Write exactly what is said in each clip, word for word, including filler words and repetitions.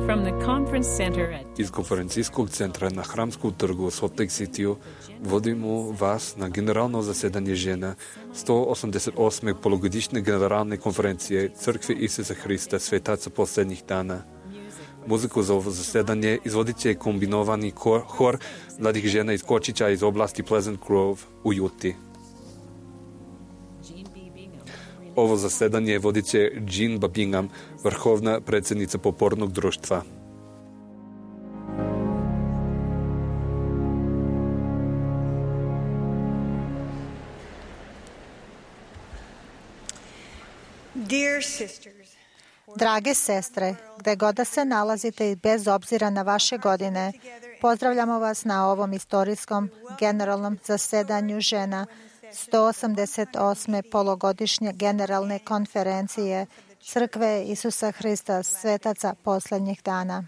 From the conference center at Iz konferencijskog centra na Hramskom trgu u Salt Lake City vodimo vas na generalno zasedanje žena sto osamdeset osme polugodišnje generalne konferencije Crkve Isusa Hrista svetaca posljednjih dana. Muziku za ovo zasedanje izvodit će kombinovani hor, hor mladih žena iz Kočića iz oblasti Pleasant Grove u Juti. Ovo zasedanje vodit će Jean Babingham, vrhovna predsjednica Popornog društva. Drage sestre, gde god da se nalazite i bez obzira na vaše godine, pozdravljamo vas na ovom istorijskom generalnom zasedanju žena sto osamdeset osme polugodišnje generalne konferencije Crkve Isusa Hrista svetaca posljednjih dana.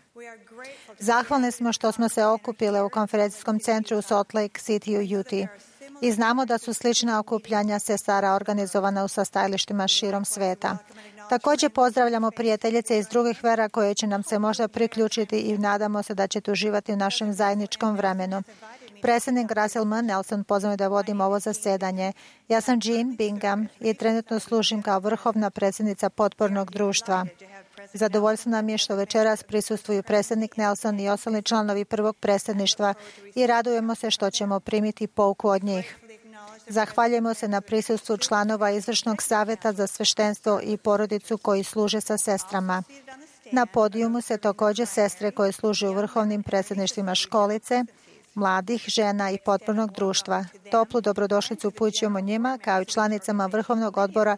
Zahvalni smo što smo se okupile u konferencijskom centru u Salt Lake City u Utah i znamo da su slična okupljanja sestara organizovana u sastajalištima širom sveta. Također pozdravljamo prijateljice iz drugih vera koje će nam se možda priključiti i nadamo se da ćete uživati u našem zajedničkom vremenu. Predsjednik Russell M. Nelson pozvao da vodim ovo zasedanje. Ja sam Jean Bingham i trenutno služim kao vrhovna predsjednica Potpornog društva. Zadovoljstvo nam je što večeras prisustvuju predsjednik Nelson i ostali članovi prvog predsjedništva i radujemo se što ćemo primiti pouku od njih. Zahvaljujemo se na prisustvu članova Izvršnog savjeta za sveštenstvo i porodicu koji služe sa sestrama. Na podijumu se također sestre koje služe u vrhovnim predsjedništvima školice, mladih, žena i potpornog društva. Toplu dobrodošlicu upućujemo njima kao i članicama vrhovnog odbora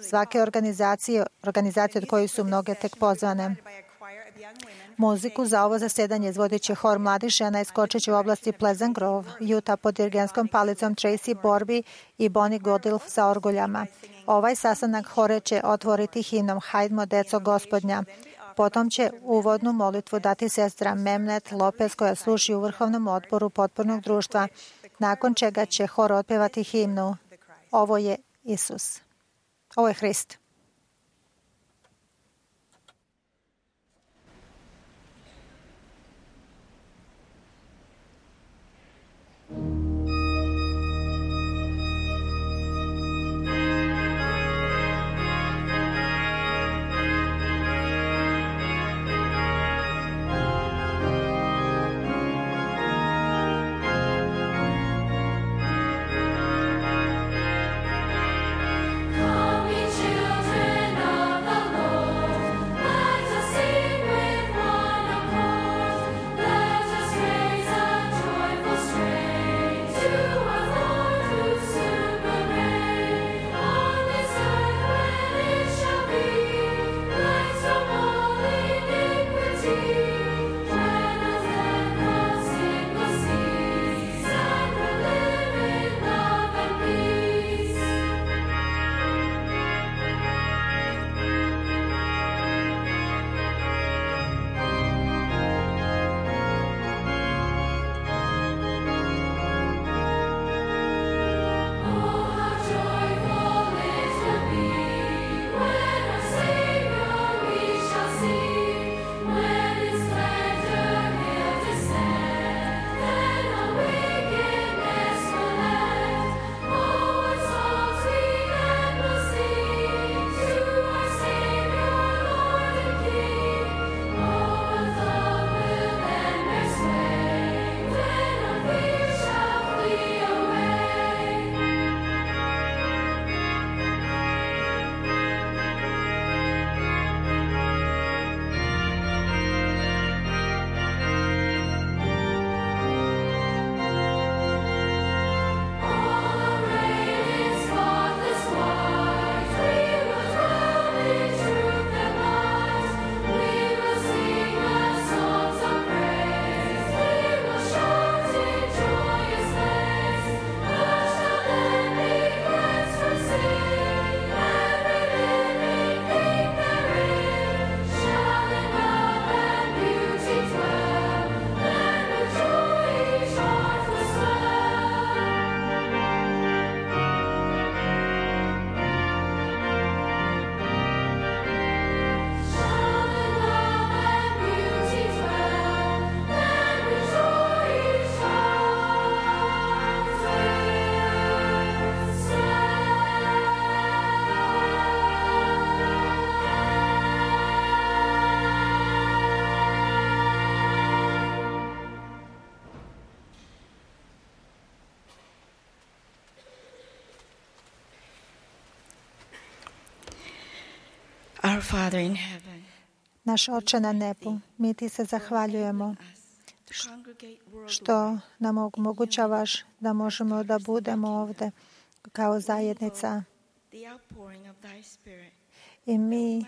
svake organizacije, organizacije od kojih su mnoge tek pozvane. Muziku za ovo zasedanje izvodit će hor mladih žena iz Kočića u oblasti Pleasant Grove, Utah pod dirigentskom palicom Tracy Borby i Bonnie Godilf sa orguljama. Ovaj sastanak hore će otvoriti himnom Hajdmo, deco Gospodnja. Potom će uvodnu molitvu dati sestra Memnet Lopez koja služi u vrhovnom odboru Potpornog društva, nakon čega će hor otpevati himnu Ovo je Isus. Ovo je Hrist. Call me to Our Father in heaven, Naš Oče na nebu, mi ti se zahvaljujemo što nam omogućavaš da možemo da budemo ovde kao zajednica i mi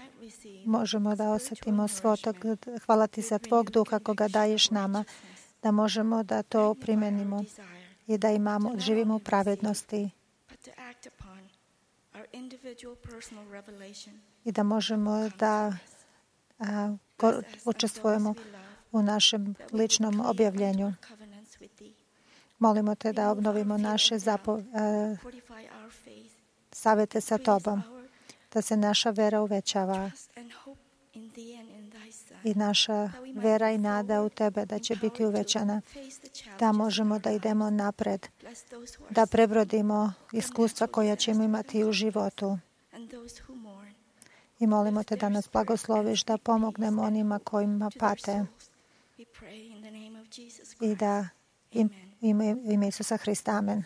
možemo da osjetimo svotog. Hvala ti za tvog duha koga daješ nama, da možemo da to primenimo i da imamo, živimo u pravednosti i da možemo da a, učestvujemo u našem ličnom objavljenju. Molimo te da obnovimo naše zapo, a, savete sa tobom, da se naša vera uvećava i naša vera i nada u tebe da će biti uvećana, da možemo da idemo napred, da prebrodimo iskustva koja ćemo imati u životu. I molimo te da nas blagosloviš, da pomognemo onima kojima pate i da im, ime, ime Isusa Hrista. Amen.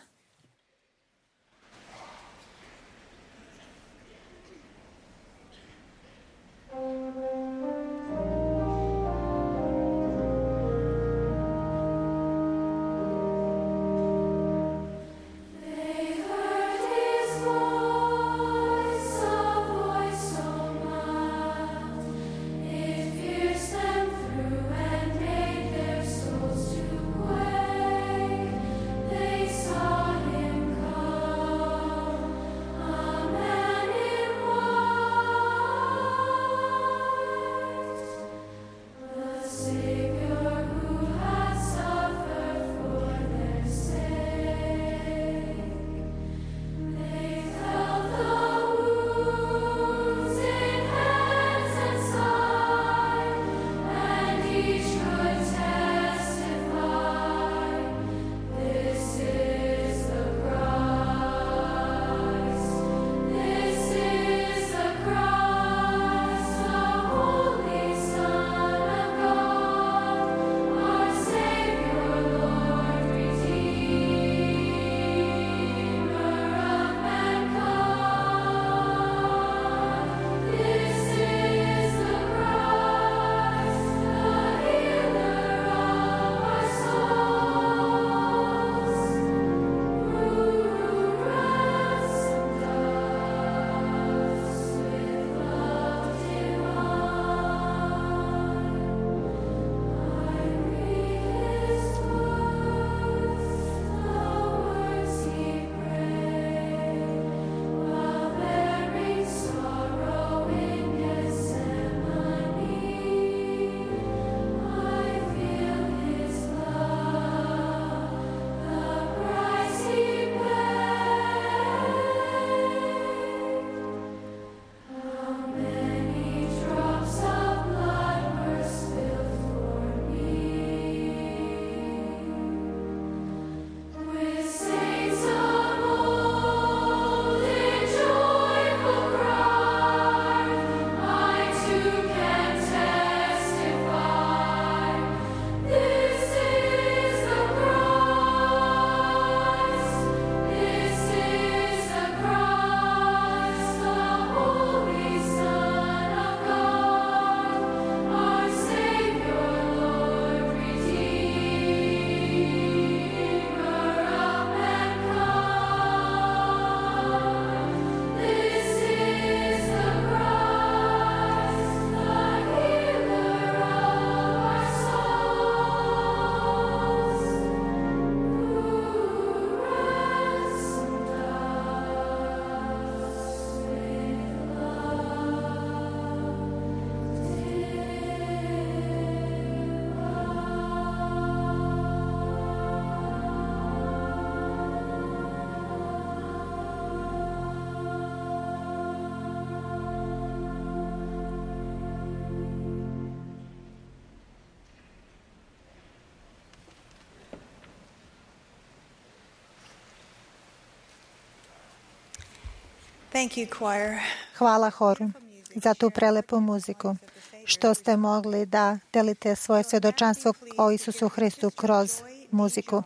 Thank you, choir. Hvala horu za tu prelepu muziku, što ste mogli da delite svoje svjedočanstvo o Isusu Hristu kroz muziku.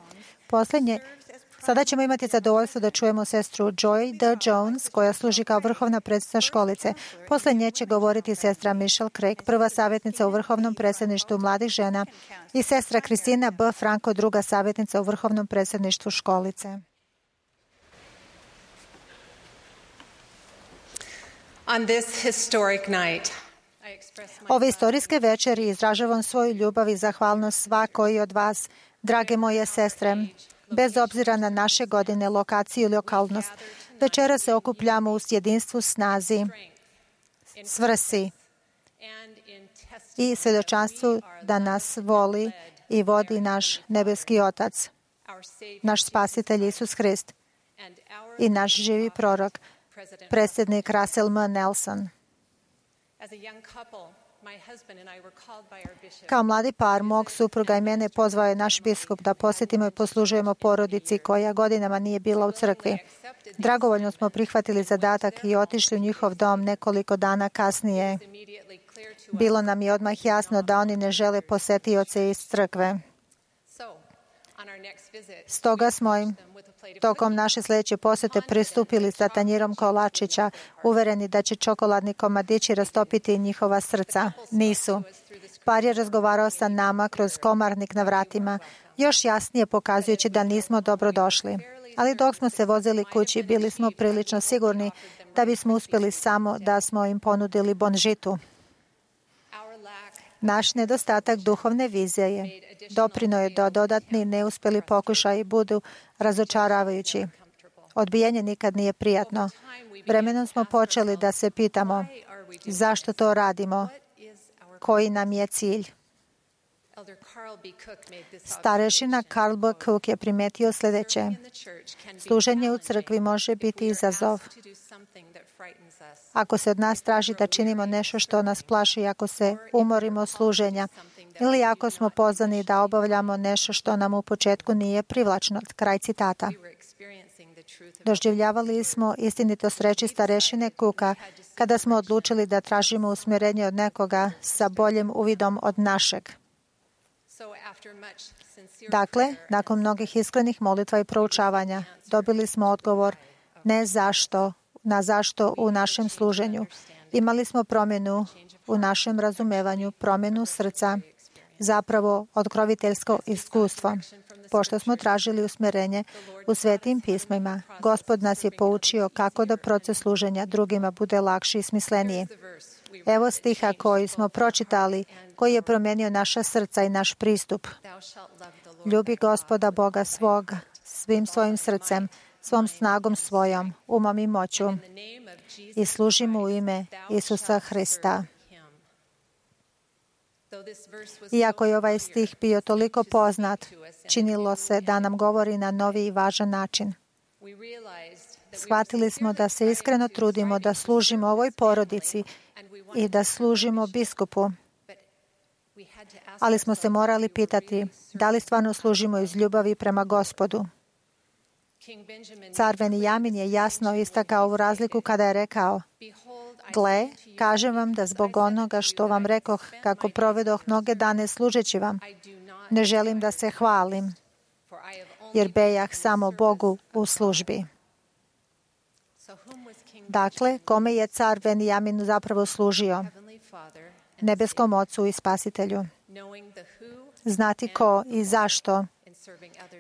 Poslednje Sada ćemo imati zadovoljstvo da čujemo sestru Joy D. Jones, koja služi kao vrhovna predsjednica školice. Posle nje će govoriti sestra Michelle Craig, prva savjetnica u vrhovnom predsjedništvu mladih žena, i sestra Kristina B. Franco, druga savjetnica u vrhovnom predsjedništvu školice. On this historic night, Ove istorijske večeri izražavam svoju ljubav i zahvalnost svakoj od vas, drage moje sestre, bez obzira na naše godine, lokaciju ili okolnost. Večera se okupljamo u jedinstvu, snazi, svrsi i svjedočanstvu da nas voli i vodi naš nebeski Otac, naš Spasitelj Isus Hrist i naš živi prorok, predsjednik Russell M. Nelson. Kao mladi par, mog supruga i mene pozvao je naš biskup da posjetimo i poslužujemo porodici koja godinama nije bila u crkvi. Dragovoljno smo prihvatili zadatak i otišli u njihov dom nekoliko dana kasnije. Bilo nam je odmah jasno da oni ne žele posetioce iz crkve. Stoga smo im tokom naše sljedeće posjete pristupili sa tanjirom kolačića, uvereni da će čokoladni komadići rastopiti njihova srca. Nisu. Par je razgovarao sa nama kroz komarnik na vratima, još jasnije pokazujući da nismo dobro došli. Ali dok smo se vozili kući, bili smo prilično sigurni da bismo uspjeli samo da smo im ponudili bonžitu. Naš nedostatak duhovne vizije je doprinio je da dodatni neuspjeli pokušaji budu razočaravajući. Odbijanje nikad nije prijatno. Vremenom smo počeli da se pitamo zašto to radimo, koji nam je cilj. Starešina Carl B. Cook je primetio sljedeće. Služenje u crkvi može biti izazov. Ako se od nas traži da činimo nešto što nas plaši, ako se umorimo od služenja, ili ako smo pozvani da obavljamo nešto što nam u početku nije privlačno. Kraj citata. Doživljavali smo istinitost reči starešine Cooka kada smo odlučili da tražimo usmjerenje od nekoga sa boljim uvidom od našeg. Dakle, nakon mnogih iskrenih molitva i proučavanja, dobili smo odgovor ne zašto, na zašto u našem služenju. Imali smo promjenu u našem razumevanju, promjenu srca, zapravo otkroviteljsko iskustvo. Pošto smo tražili usmjerenje u svetim pismima, Gospod nas je poučio kako da proces služenja drugima bude lakši i smisleniji. Evo stiha koji smo pročitali, koji je promijenio naša srca i naš pristup. Ljubi Gospoda Boga svoga svim svojim srcem, svom snagom svojom, umom i moću i služi mu u ime Isusa Hrista. Iako je ovaj stih bio toliko poznat, činilo se da nam govori na novi i važan način. Shvatili smo da se iskreno trudimo da služimo ovoj porodici i da služimo biskupu, ali smo se morali pitati da li stvarno služimo iz ljubavi prema Gospodu. Car Benjamin je jasno istakao ovu razliku kada je rekao: Gle, kažem vam da zbog onoga što vam rekoh kako provedoh mnoge dane služeći vam, ne želim da se hvalim, jer bejah samo Bogu u službi. Dakle, kome je car Benjamin zapravo služio? Nebeskom Ocu i Spasitelju. Znati ko i zašto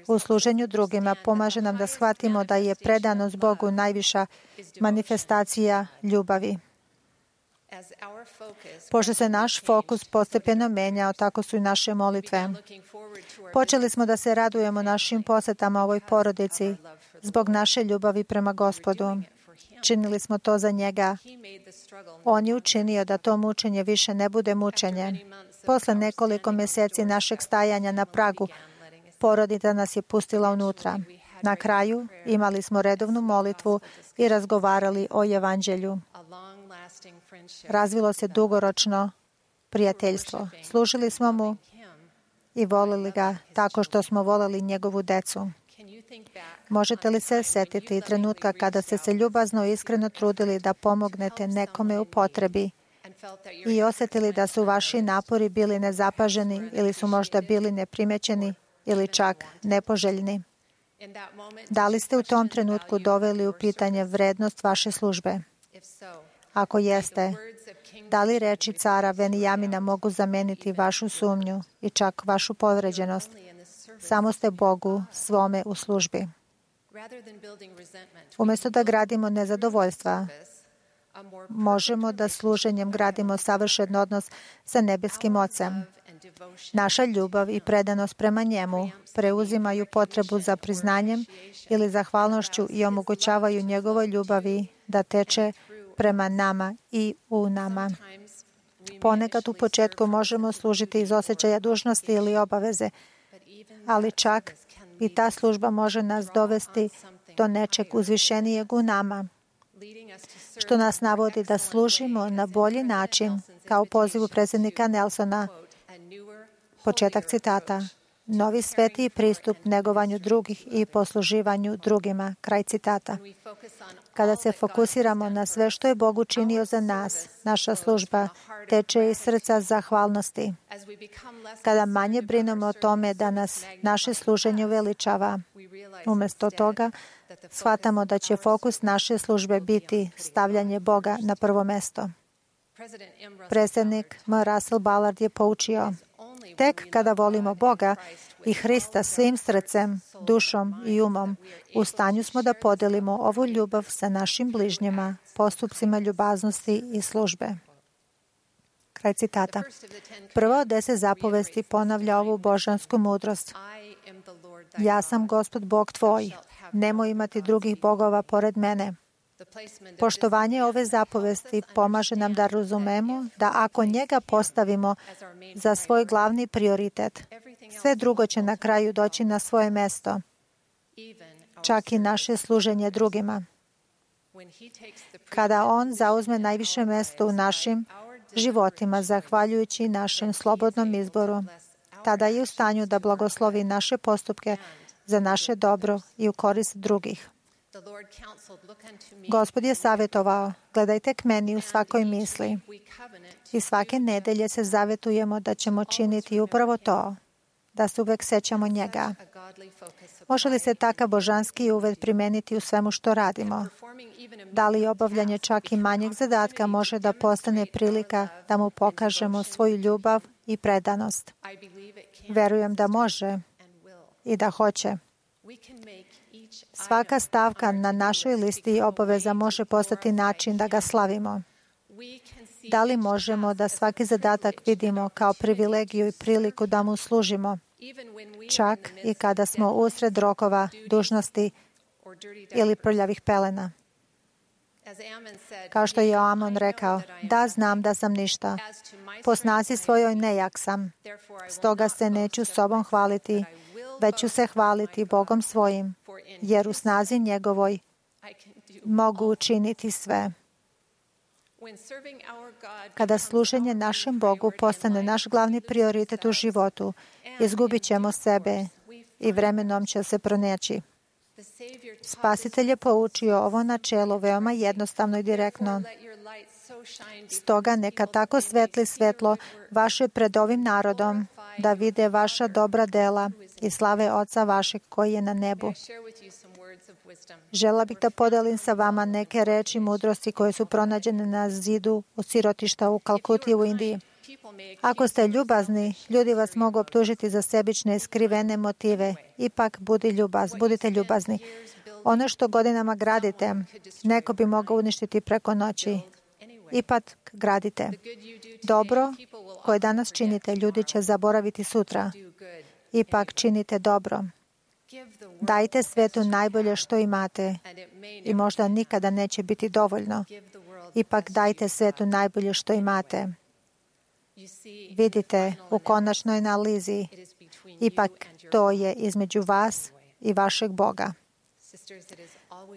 u služenju drugima pomaže nam da shvatimo da je predanost Bogu najviša manifestacija ljubavi. Pošto se naš fokus postepeno menjao, tako su i naše molitve. Počeli smo da se radujemo našim posjetama ovoj porodici zbog naše ljubavi prema Gospodu. Činili smo to za njega. On je učinio da to mučenje više ne bude mučenje. Posle nekoliko mjeseci našeg stajanja na pragu, porodica nas je pustila unutra. Na kraju imali smo redovnu molitvu i razgovarali o evanđelju. Razvilo se dugoročno prijateljstvo. Služili smo mu i volili ga tako što smo volili njegovu decu. Možete li se sjetiti trenutka kada ste se ljubazno i iskreno trudili da pomognete nekome u potrebi i osjetili da su vaši napori bili nezapaženi ili su možda bili neprimećeni ili čak nepoželjni? Da li ste u tom trenutku doveli u pitanje vrednost vaše službe? Ako jeste, da li reči cara Benijamina mogu zameniti vašu sumnju i čak vašu povređenost? Samo ste Bogu svome u službi. Umjesto da gradimo nezadovoljstva, možemo da služenjem gradimo savršen odnos sa nebeskim Ocem. Naša ljubav i predanost prema njemu preuzimaju potrebu za priznanjem ili zahvalnošću i omogućavaju njegovoj ljubavi da teče prema nama i u nama. Ponekad u početku možemo služiti iz osjećaja dužnosti ili obaveze, ali čak i ta služba može nas dovesti do nečeg uzvišenijeg u nama, što nas navodi da služimo na bolji način, kao pozivu predsjednika Nelsona. Početak citata. Novi svetiji pristup negovanju drugih i posluživanju drugima. Kraj citata. Kada se fokusiramo na sve što je Bog učinio za nas, naša služba teče iz srca zahvalnosti. Kada manje brinemo o tome da nas naše služenje uveličava, umjesto toga shvatamo da će fokus naše službe biti stavljanje Boga na prvo mesto. Predsjednik M. Russell Ballard je poučio: tek kada volimo Boga i Hrista svim srcem, dušom i umom, u stanju smo da podelimo ovu ljubav sa našim bližnjima, postupcima ljubaznosti i službe. Kraj citata. Prva od deset zapovesti ponavlja ovu božansku mudrost. Ja sam Gospod Bog tvoj, nemoj imati drugih bogova pored mene. Poštovanje ove zapovesti pomaže nam da razumemo da ako njega postavimo za svoj glavni prioritet, sve drugo će na kraju doći na svoje mesto, čak i naše služenje drugima. Kada on zauzme najviše mesto u našim životima, zahvaljujući našem slobodnom izboru, tada je u stanju da blagoslovi naše postupke za naše dobro i u korist drugih. Gospod je savjetovao: gledajte k meni u svakoj misli. I svake nedelje se zavetujemo da ćemo činiti upravo to, da se uvek sećamo njega. Može li se takav božanski uved primeniti u svemu što radimo? Da li obavljanje čak i manjeg zadatka može da postane prilika da mu pokažemo svoju ljubav i predanost? Verujem da može i da hoće. Svaka stavka na našoj listi obaveza može postati način da ga slavimo. Da li možemo da svaki zadatak vidimo kao privilegiju i priliku da mu služimo, čak i kada smo usred rokova, dužnosti ili prljavih pelena? Kao što je Amon rekao: da, znam da sam ništa, po snazi svojoj nejak sam, stoga se neću sobom hvaliti, već ću se hvaliti Bogom svojim, jer u snazi njegovoj mogu učiniti sve. Kada služenje našem Bogu postane naš glavni prioritet u životu, izgubit ćemo sebe i vremenom će se pronaći. Spasitelj je poučio ovo načelo veoma jednostavno i direktno. Stoga neka tako svetli svetlo vaše pred ovim narodom, da vide vaša dobra dela i slave Oca vašeg koji je na nebu. Žela bih da podelim sa vama neke reči mudrosti koje su pronađene na zidu u sirotišta u Kalkuti u Indiji. Ako ste ljubazni, ljudi vas mogu optužiti za sebične i skrivene motive. Ipak budi ljubaz, budite ljubazni. Ono što godinama gradite, neko bi mogao uništiti preko noći. Ipak gradite. Dobro koje danas činite, ljudi će zaboraviti sutra. Ipak činite dobro. Dajte svetu najbolje što imate i možda nikada neće biti dovoljno. Ipak dajte svetu najbolje što imate. Vidite, u konačnoj analizi, ipak to je između vas i vašeg Boga.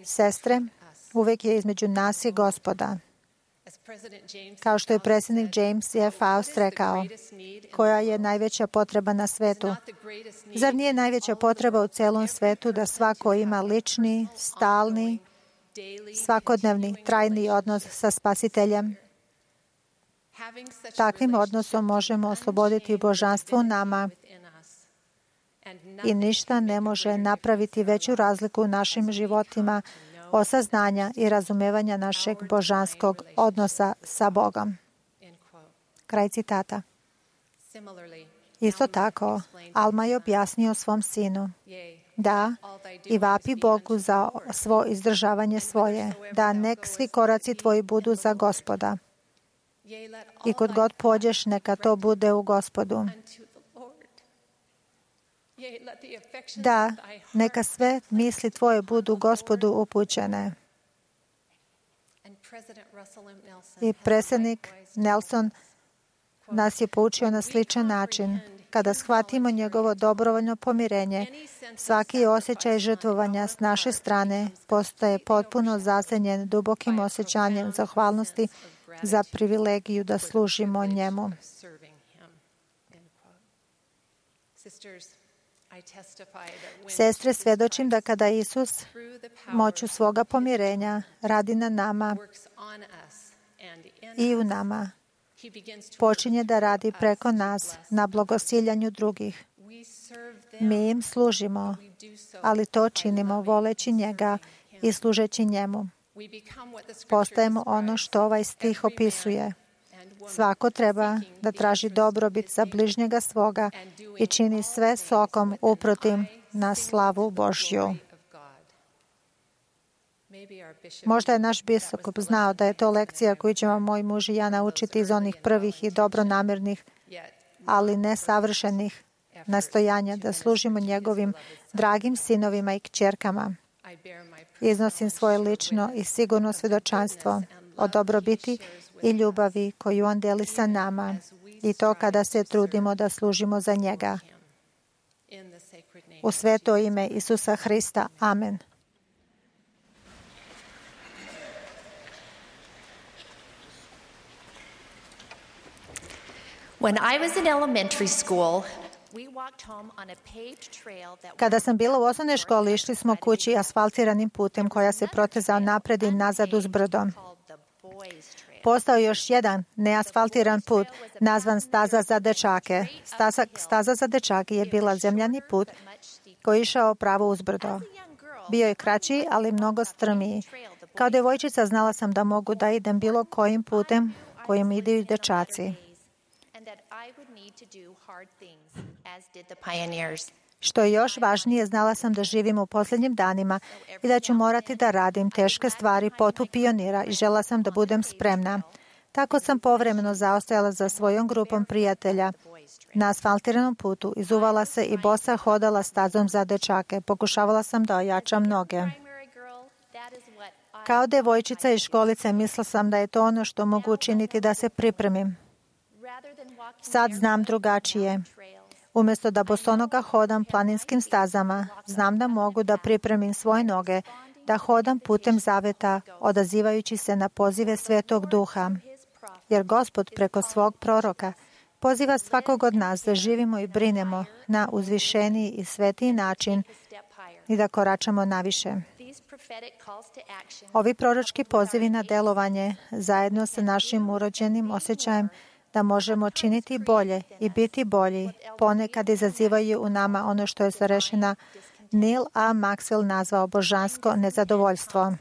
Sestre, uvek je između nas i Gospoda. Kao što je predsjednik James F. Faust rekao, koja je najveća potreba na svetu? Zar nije najveća potreba u celom svetu da svako ima lični, stalni, svakodnevni, trajni odnos sa Spasiteljem? Takvim odnosom možemo osloboditi božanstvo u nama i ništa ne može napraviti veću razliku u našim životima osaznanja i razumevanja našeg božanskog odnosa sa Bogom. Kraj citata. Isto tako, Alma je objasnio svom sinu: da, i vapi Bogu za svo izdržavanje svoje, da nek svi koraci tvoji budu za Gospoda. I kod god pođeš, neka to bude u Gospodu. Da, neka sve misli tvoje budu Gospodu upućene. I predsjednik Nelson nas je poučio na sličan način. Kada shvatimo njegovo dobrovoljno pomirenje, svaki osjećaj žrtvovanja s naše strane postaje potpuno zasenjen dubokim osjećanjem zahvalnosti za privilegiju da služimo njemu. Sestre, svjedočim da kada Isus moću svoga pomirenja radi na nama i u nama, počinje da radi preko nas na blagosiljanju drugih. Mi im služimo, ali to činimo voleći njega i služeći njemu. Postajemo ono što ovaj stih opisuje. Svako treba da traži dobrobit za bližnjega svoga i čini sve sokom uprotim na slavu Božju. Možda je naš biskup znao da je to lekcija koju ćemo moj muž i ja naučiti iz onih prvih i dobronamjernih, ali nesavršenih nastojanja da služimo njegovim dragim sinovima i kćerkama. Iznosim svoje lično i sigurno svjedočanstvo o dobrobiti i ljubavi koju on deli sa nama, i to kada se trudimo da služimo za njega. U sveto ime Isusa Hrista. Amen. When I was in elementary school, we walked home on a paved trail that Kada sam bila u osnovnoj školi, išli smo kući asfaltiranim putem koja se protezao napred i nazad uz brdo. Postao još jedan neasfaltiran put nazvan staza za dečake. Staza, staza za dečake je bila zemljani put koji je išao pravo uz brdo. Bio je kraći, ali mnogo strmiji. Kao devojčica znala sam da mogu da idem bilo kojim putem kojim idu i dečaci. Što je još važnije, znala sam da živim u posljednjim danima i da ću morati da radim teške stvari poput pionira i žela sam da budem spremna. Tako sam povremeno zaostajala za svojom grupom prijatelja na asfaltiranom putu, izuvala se i bosa hodala stazom za dečake. Pokušavala sam da ojačam noge. Kao devojčica iz školice mislila sam da je to ono što mogu učiniti da se pripremim. Sad znam drugačije. Umjesto da bosonoga hodam planinskim stazama, znam da mogu da pripremim svoje noge, da hodam putem zaveta, odazivajući se na pozive Svetog Duha. Jer Gospod preko svog proroka poziva svakog od nas da živimo i brinemo na uzvišeniji i svetiji način i da koračamo naviše. Ovi proročki pozivi na delovanje, zajedno sa našim urođenim osjećajem da možemo činiti bolje i biti bolji, ponekad izazivaju u nama ono što je starešina Neil A. Maxwell nazvao božansko nezadovoljstvo.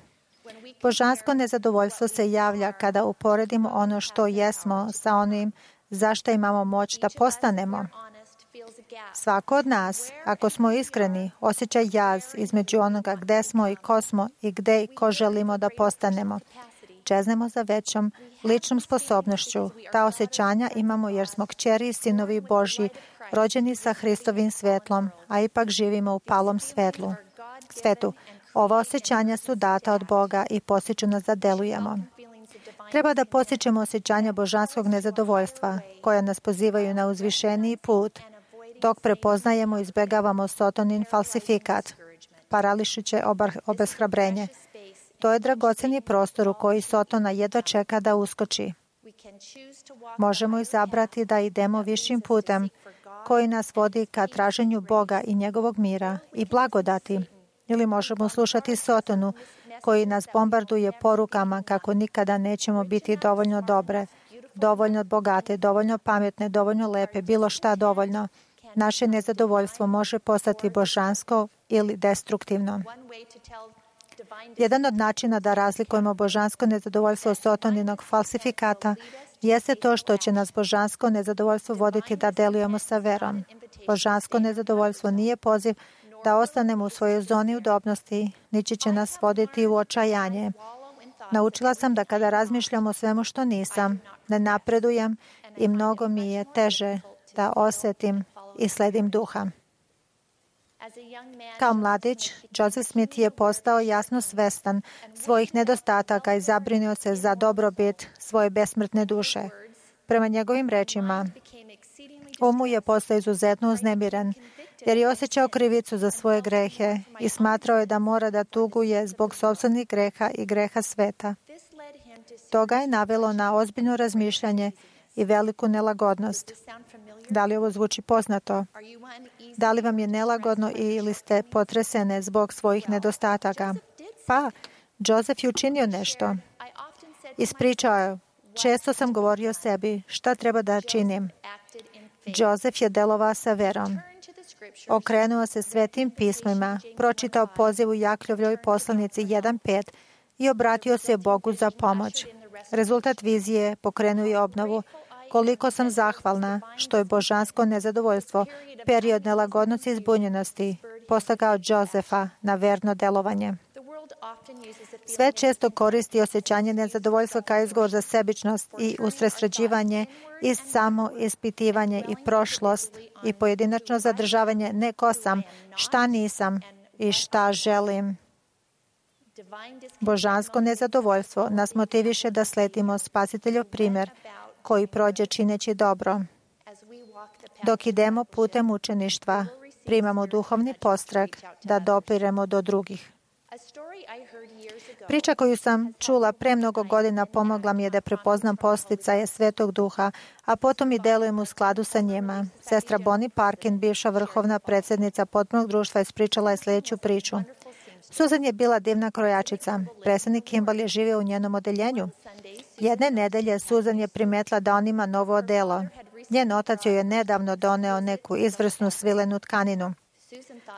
Božansko nezadovoljstvo se javlja kada uporedimo ono što jesmo sa onim zašto imamo moć da postanemo. Svako od nas, ako smo iskreni, osjeća jaz između onoga gde smo i ko smo i gde i ko želimo da postanemo. Čeznemo za većom ličnom sposobnošću. Ta osjećanja imamo jer smo kćeri i sinovi Božji, rođeni sa Hristovim svetlom, a ipak živimo u palom svetlu. svetu. Ova osjećanja su data od Boga i postiču nas da delujemo. Treba da postičemo osjećanja božanskog nezadovoljstva, koja nas pozivaju na uzvišeniji put, dok prepoznajemo i izbjegavamo Sotonin falsifikat, parališuće obeshrabrenje. To je dragoceni prostor u koji Sotona jedva čeka da uskoči. Možemo izabrati da idemo višim putem koji nas vodi ka traženju Boga i njegovog mira i blagodati. Ili možemo slušati Sotonu koji nas bombarduje porukama kako nikada nećemo biti dovoljno dobre, dovoljno bogate, dovoljno pametne, dovoljno lepe, bilo šta dovoljno. Naše nezadovoljstvo može postati božansko ili destruktivno. Jedan od načina da razlikujemo božansko nezadovoljstvo od Sataninog falsifikata jeste to što će nas božansko nezadovoljstvo voditi da delujemo sa verom. Božansko nezadovoljstvo nije poziv da ostanemo u svojoj zoni udobnosti, niti će nas voditi u očajanje. Naučila sam da kada razmišljam o svemu što nisam, ne napredujem i mnogo mi je teže da osjetim i sledim duha. Kao mladić, Joseph Smith je postao jasno svestan svojih nedostataka i zabrinuo se za dobrobit svoje besmrtne duše. Prema njegovim rečima, um mu je postao izuzetno uznemiren, jer je osjećao krivicu za svoje grehe i smatrao je da mora da tuguje zbog sopstvenih greha i greha sveta. To ga je navelo na ozbiljno razmišljanje i veliku nelagodnost. Da li ovo zvuči poznato? Da li vam je nelagodno ili ste potresene zbog svojih nedostataka? Pa, Joseph je učinio nešto. Ispričao je, često sam govorio sebi, šta treba da činim. Joseph je delovao sa verom. Okrenuo se svetim pismima, pročitao poziv u Jakljovljoj poslanici jedan pet i obratio se Bogu za pomoć. Rezultat vizije pokrenuo je obnovu. Koliko sam zahvalna što je božansko nezadovoljstvo, period nelagodnosti i zbunjenosti, postakao Josefa na verno delovanje. Sve često koristi osjećanje nezadovoljstva kao izgovor za sebičnost i usredsređivanje i samo ispitivanje i prošlost i pojedinačno zadržavanje ne ko sam, šta nisam i šta želim. Božansko nezadovoljstvo nas motiviše da sledimo Spasiteljov primjer koji prođe čineći dobro. Dok idemo putem učeništva, primamo duhovni postreh da dopiremo do drugih. Priča koju sam čula pre mnogo godina pomogla mi je da prepoznam posticaje Svetog Duha, a potom i delujem u skladu sa njima. Sestra Bonnie Parkin, bivša vrhovna predsjednica potpunog društva, ispričala je sljedeću priču. Susan je bila divna krojačica. Predsjednik Kimball je živio u njenom odeljenju. Jedne nedelje Susan je primetila da on ima novo odelo. Njen otac joj je nedavno doneo neku izvrsnu svilenu tkaninu.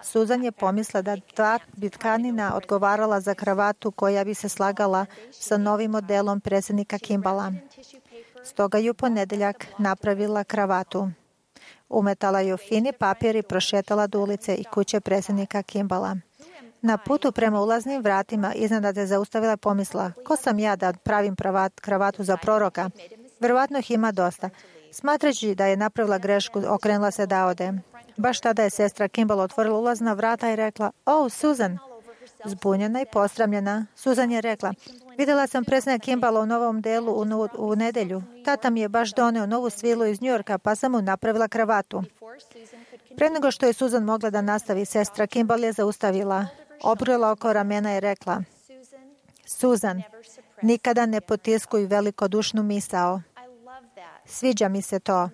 Susan je pomisla da ta bi tkanina odgovarala za kravatu koja bi se slagala sa novim modelom predsjednika Kimballa. Stoga ju ponedeljak napravila kravatu. Umetala ju fini papir i prošetala do ulice i kuće predsjednika Kimballa. Na putu prema ulaznim vratima iznenada se zaustavila pomisla, ko sam ja da pravim pravat, kravatu za proroka? Verovatno ih ima dosta. Smatrajući da je napravila grešku, okrenula se da ode. Baš tada je sestra Kimball otvorila ulazna vrata i rekla, o, Susan. Zbunjena i posramljena, Susan je rekla, vidjela sam predsjednika Kimballa u novom delu u, u nedelju. Tata mi je baš doneo novu svilu iz Njujorka, pa sam mu napravila kravatu. Pre nego što je Susan mogla da nastavi, sestra Kimball je zaustavila. Obrila oko ramena i rekla, Susan, nikada ne potiskuj velikodušnu misao. Sviđa mi se to.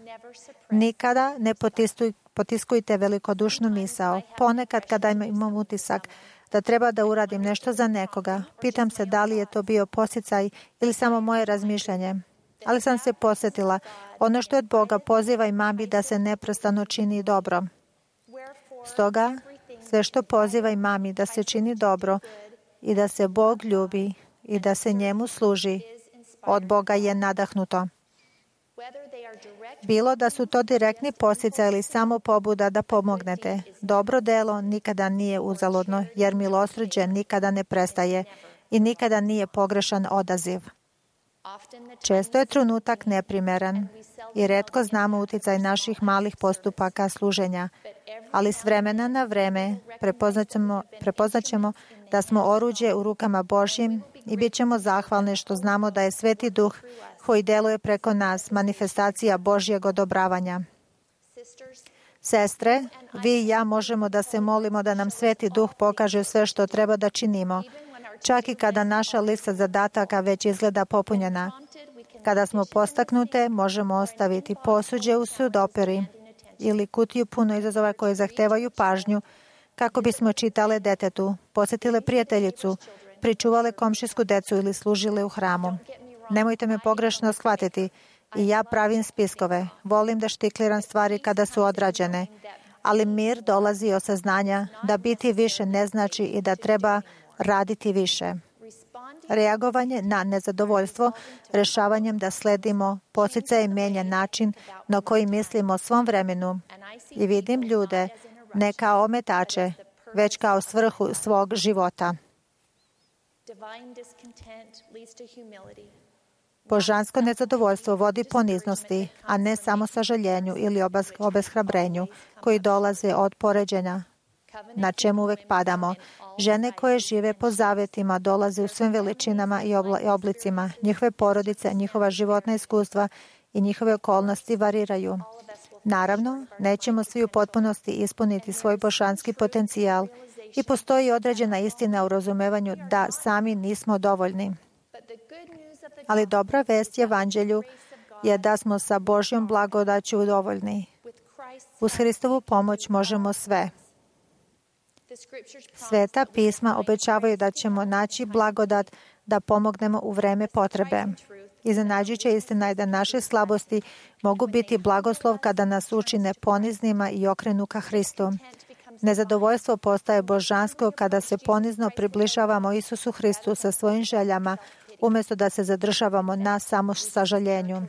Nikada ne potiskuj, potiskujte velikodušnu misao. Ponekad kada imam utisak da treba da uradim nešto za nekoga, pitam se da li je to bio posticaj ili samo moje razmišljanje. Ali sam se posjetila, ono što je od Boga poziva i mami da se neprestano čini dobro. Stoga, sve što poziva i mami da se čini dobro i da se Bog ljubi i da se njemu služi, od Boga je nadahnuto. Bilo da su to direktni posticaj ili samo pobuda da pomognete, dobro delo nikada nije uzaludno, jer milosrđe nikada ne prestaje i nikada nije pogrešan odaziv. Često je trenutak neprimeran i retko znamo uticaj naših malih postupaka služenja, ali s vremena na vreme prepoznaćemo, prepoznaćemo da smo oruđe u rukama Božjim i bit ćemo zahvalni što znamo da je Sveti Duh koji deluje preko nas manifestacija Božjeg odobravanja. Sestre, vi i ja možemo da se molimo da nam Sveti Duh pokaže sve što treba da činimo, čak i kada naša lista zadataka već izgleda popunjena. Kada smo postaknute, možemo ostaviti posuđe u sudoperi ili kutiju puno izazova koje zahtevaju pažnju, kako bismo čitale detetu, posjetile prijateljicu, pričuvale komšijsku decu ili služile u hramu. Nemojte me pogrešno shvatiti. I ja pravim spiskove. Volim da štikliram stvari kada su odrađene. Ali mir dolazi od saznanja da biti više ne znači i da treba raditi više. Reagovanje na nezadovoljstvo rešavanjem da sledimo podsticaj menja način na koji mislimo o svom vremenu i vidim ljude ne kao ometače, već kao svrhu svog života. Božansko nezadovoljstvo vodi poniznosti, a ne samo sažaljenju ili obeshrabrenju koji dolaze od poređenja, na čemu uvek padamo. Žene koje žive po zavjetima dolaze u svim veličinama i oblicima. Njihove porodice, njihova životna iskustva i njihove okolnosti variraju. Naravno, nećemo svi u potpunosti ispuniti svoj božanski potencijal i postoji određena istina u razumevanju da sami nismo dovoljni. Ali dobra vest Evanđelju je da smo sa Božjom blagodaću dovoljni. Uz Hristovu pomoć možemo sve. Sveta pisma obećavaju da ćemo naći blagodat da pomognemo u vreme potrebe. Iznenađujuća istina je da naše slabosti mogu biti blagoslov kada nas učine poniznima i okrenu ka Hristu. Nezadovoljstvo postaje božansko kada se ponizno približavamo Isusu Hristu sa svojim željama, umjesto da se zadržavamo na samo sažaljenju.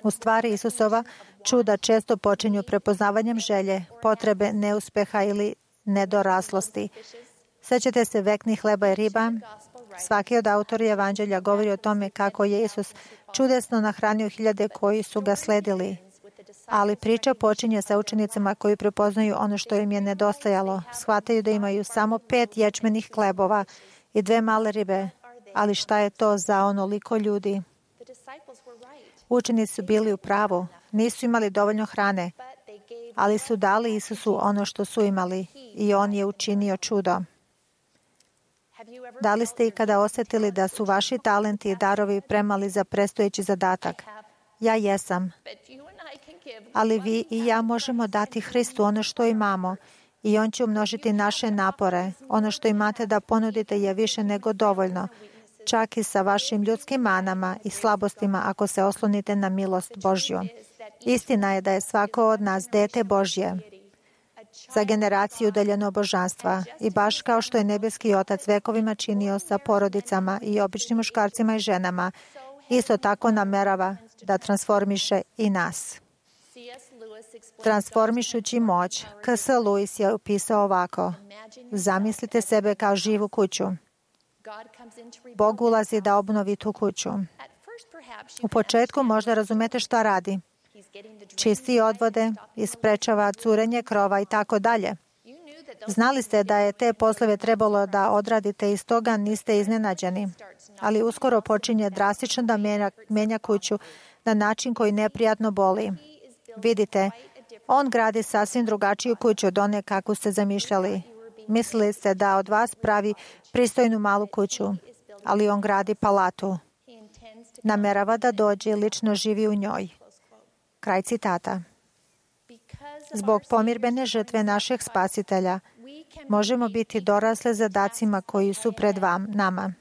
U stvari Isusova čuda često počinju prepoznavanjem želje, potrebe, neuspeha ili nedoraslosti. Sećate se veknih hleba i riba? Svaki od autora Evanđelja govori o tome kako je Isus čudesno nahranio hiljade koji su ga sledili. Ali priča počinje sa učenicima koji prepoznaju ono što im je nedostajalo. Shvataju da imaju samo pet ječmenih hlebova i dve male ribe. Ali šta je to za onoliko ljudi? Učenici su bili u pravu. Nisu imali dovoljno hrane, ali su dali Isusu ono što su imali i on je učinio čudo. Da li ste ikada osjetili da su vaši talenti i darovi premali za predstojeći zadatak? Ja jesam. Ali vi i ja možemo dati Hristu ono što imamo i on će umnožiti naše napore. Ono što imate da ponudite je više nego dovoljno, čak i sa vašim ljudskim manama i slabostima ako se oslonite na milost Božju. Istina je da je svako od nas dete Božje za generaciju udaljeno božanstva i baš kao što je nebeski Otac vekovima činio sa porodicama i običnim muškarcima i ženama, isto tako namerava da transformiše i nas. Transformišući moć, K S Lewis je opisao ovako: zamislite sebe kao živu kuću. Bog ulazi da obnovi tu kuću. U početku možda razumete šta radi. Čisti odvode, isprečava curenje krova i tako dalje. Znali ste da je te poslove trebalo da odradite i stoga niste iznenađeni. Ali uskoro počinje drastično da menja, menja kuću na način koji neprijatno boli. Vidite, on gradi sasvim drugačiju kuću od one kakvu ste zamišljali. Mislili ste da od vas pravi pristojnu malu kuću, ali on gradi palatu. Namerava da dođe i lično živi u njoj. Kraj citata. Zbog pomirbene žrtve našeg spasitelja možemo biti dorasle zadacima koji su pred vam, nama.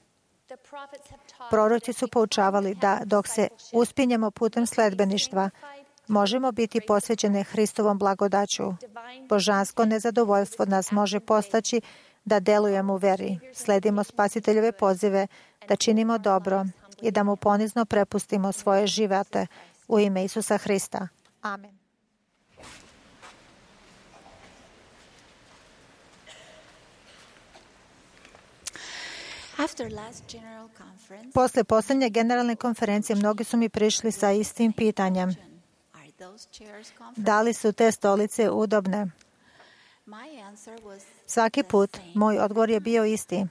Proroci su poučavali da dok se uspinjemo putem sledbeništva, možemo biti posvećene Hristovom blagodaću. Božansko nezadovoljstvo nas može postaći da delujemo u veri, sledimo spasiteljove pozive, da činimo dobro i da mu ponizno prepustimo svoje živote u ime Isusa Hrista. Amen. Posle posljednje generalne konferencije mnogi su mi prišli sa istim pitanjem. Da li su te stolice udobne? Svaki put moj odgovor je bio isti.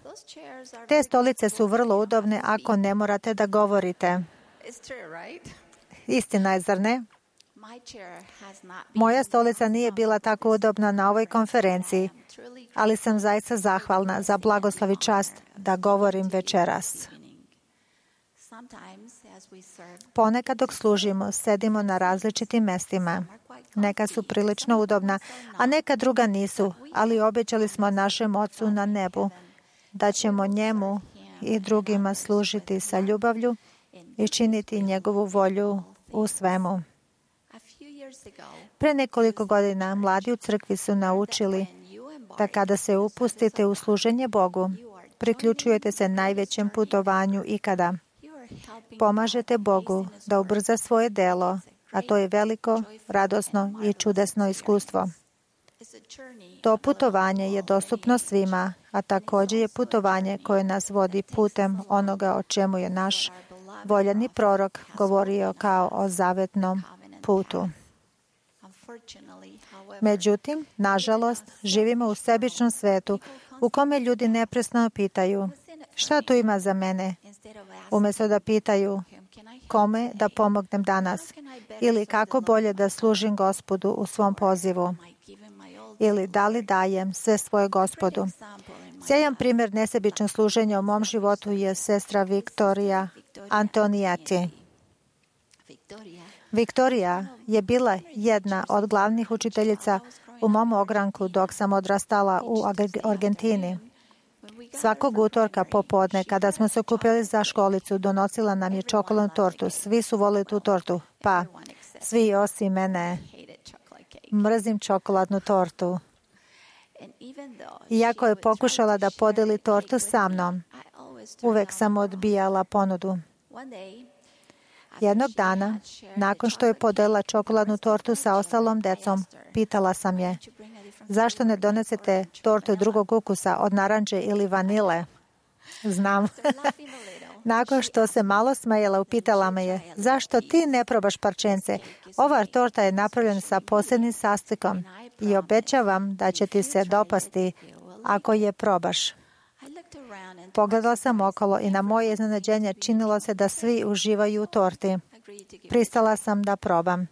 Te stolice su vrlo udobne ako ne morate da govorite. Istina je, zar ne? Moja stolica nije bila tako udobna na ovoj konferenciji, ali sam zaista zahvalna za blagoslov i čast da govorim večeras. Ponekad dok služimo, sedimo na različitim mestima. Neka su prilično udobna, a neka druga nisu, ali obećali smo našem Ocu na nebu da ćemo njemu i drugima služiti sa ljubavlju i činiti njegovu volju u svemu. Pre nekoliko godina mladi u crkvi su naučili da kada se upustite u služenje Bogu, priključujete se najvećem putovanju ikada. Pomažete Bogu da ubrza svoje delo, a to je veliko, radosno i čudesno iskustvo. To putovanje je dostupno svima, a također je putovanje koje nas vodi putem onoga o čemu je naš voljeni prorok govorio kao o zavetnom putu. Međutim, nažalost, živimo u sebičnom svetu u kome ljudi neprestano pitaju šta tu ima za mene, umjesto da pitaju kome da pomognem danas ili kako bolje da služim Gospodu u svom pozivu ili da li dajem sve svoje Gospodu. Sjajan primjer nesebičnog služenja u mom životu je sestra Viktorija Antonijeti. Viktorija je bila jedna od glavnih učiteljica u mom ogranku dok sam odrastala u Argentini. Svakog utorka popodne, kada smo se okupili za školicu, donosila nam je čokoladnu tortu. Svi su volili tu tortu, pa svi osim mene. Mrzim čokoladnu tortu. Iako je pokušala da podeli tortu sa mnom, uvek sam odbijala ponudu. Jednog dana, nakon što je podelila čokoladnu tortu sa ostalom decom, pitala sam je, zašto ne donesete tortu drugog ukusa od naranđe ili vanile? Znam. Nakon što se malo smejala, upitala me je, zašto ti ne probaš parčence? Ova torta je napravljena sa posebnim sastojkom i obećavam da će ti se dopasti ako je probaš. Pogledala sam okolo i na moje iznenađenje činilo se da svi uživaju u torti. Pristala sam da probam.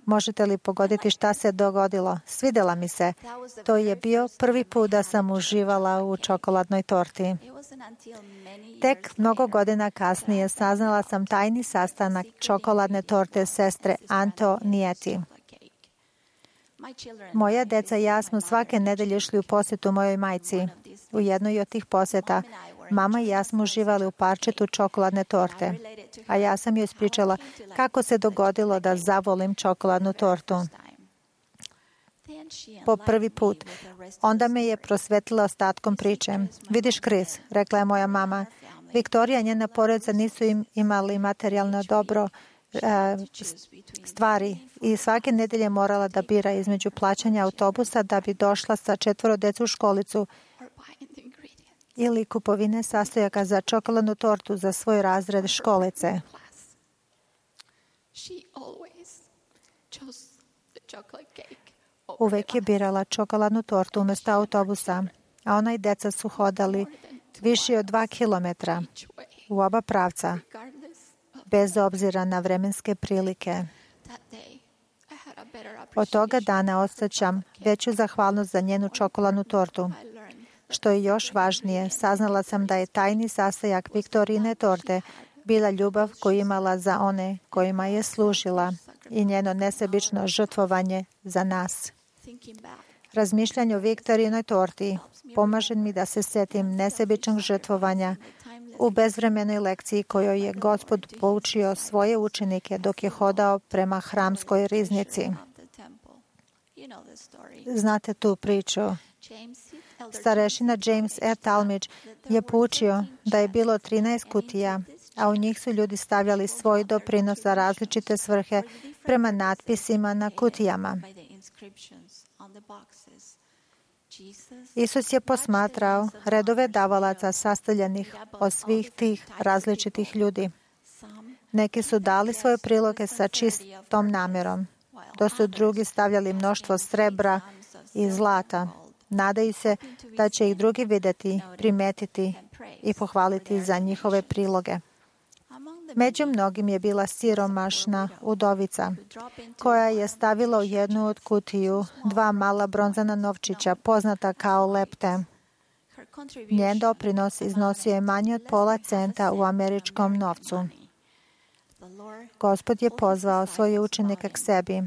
Možete li pogoditi šta se dogodilo? Svidjela mi se. To je bio prvi put da sam uživala u čokoladnoj torti. Tek mnogo godina kasnije saznala sam tajni sastanak čokoladne torte sestre Antonijeti. Moja deca i ja smo svake nedelje išli u posjetu mojoj majci. U jednoj od tih posjeta mama i ja smo uživali u parčetu čokoladne torte, a ja sam joj ispričala kako se dogodilo da zavolim čokoladnu tortu. Po prvi put. Onda me je prosvetlila ostatkom priče. Vidiš, Chris, rekla je moja mama, Viktorija i njena porodica nisu im imali materijalno dobro stvari i svake nedelje morala da bira između plaćanja autobusa da bi došla sa četvoro deca u školicu ili kupovine sastojaka za čokoladnu tortu za svoj razred školice. Uvek je birala čokoladnu tortu umjesto autobusa, a ona i deca su hodali više od dva kilometra u oba pravca, bez obzira na vremenske prilike. Od toga dana osjećam veću zahvalnost za njenu čokoladnu tortu. Što je još važnije, saznala sam da je tajni sastojak Viktorine torte bila ljubav koju imala za one kojima je služila i njeno nesebično žrtvovanje za nas. Razmišljanje o Viktorinoj torti pomaže mi da se sjetim nesebičnog žrtvovanja u bezvremenoj lekciji kojoj je Gospod poučio svoje učenike dok je hodao prema hramskoj riznici. Znate tu priču. Starešina James E. Talmage je poučio da je bilo trinaest kutija, a u njih su ljudi stavljali svoj doprinos za različite svrhe prema natpisima na kutijama. Isus je posmatrao redove davalaca sastavljenih od svih tih različitih ljudi. Neki su dali svoje priloge sa čistom namjerom, dok su drugi stavljali mnoštvo srebra i zlata. Nadaju se da će ih drugi vidjeti, primetiti i pohvaliti za njihove priloge. Među mnogim je bila siromašna udovica, koja je stavila u jednu od kutiju dva mala bronzana novčića, poznata kao lepte. Njen doprinos iznosio je manje od pola centa u američkom novcu. Gospod je pozvao svoje učenike k sebi,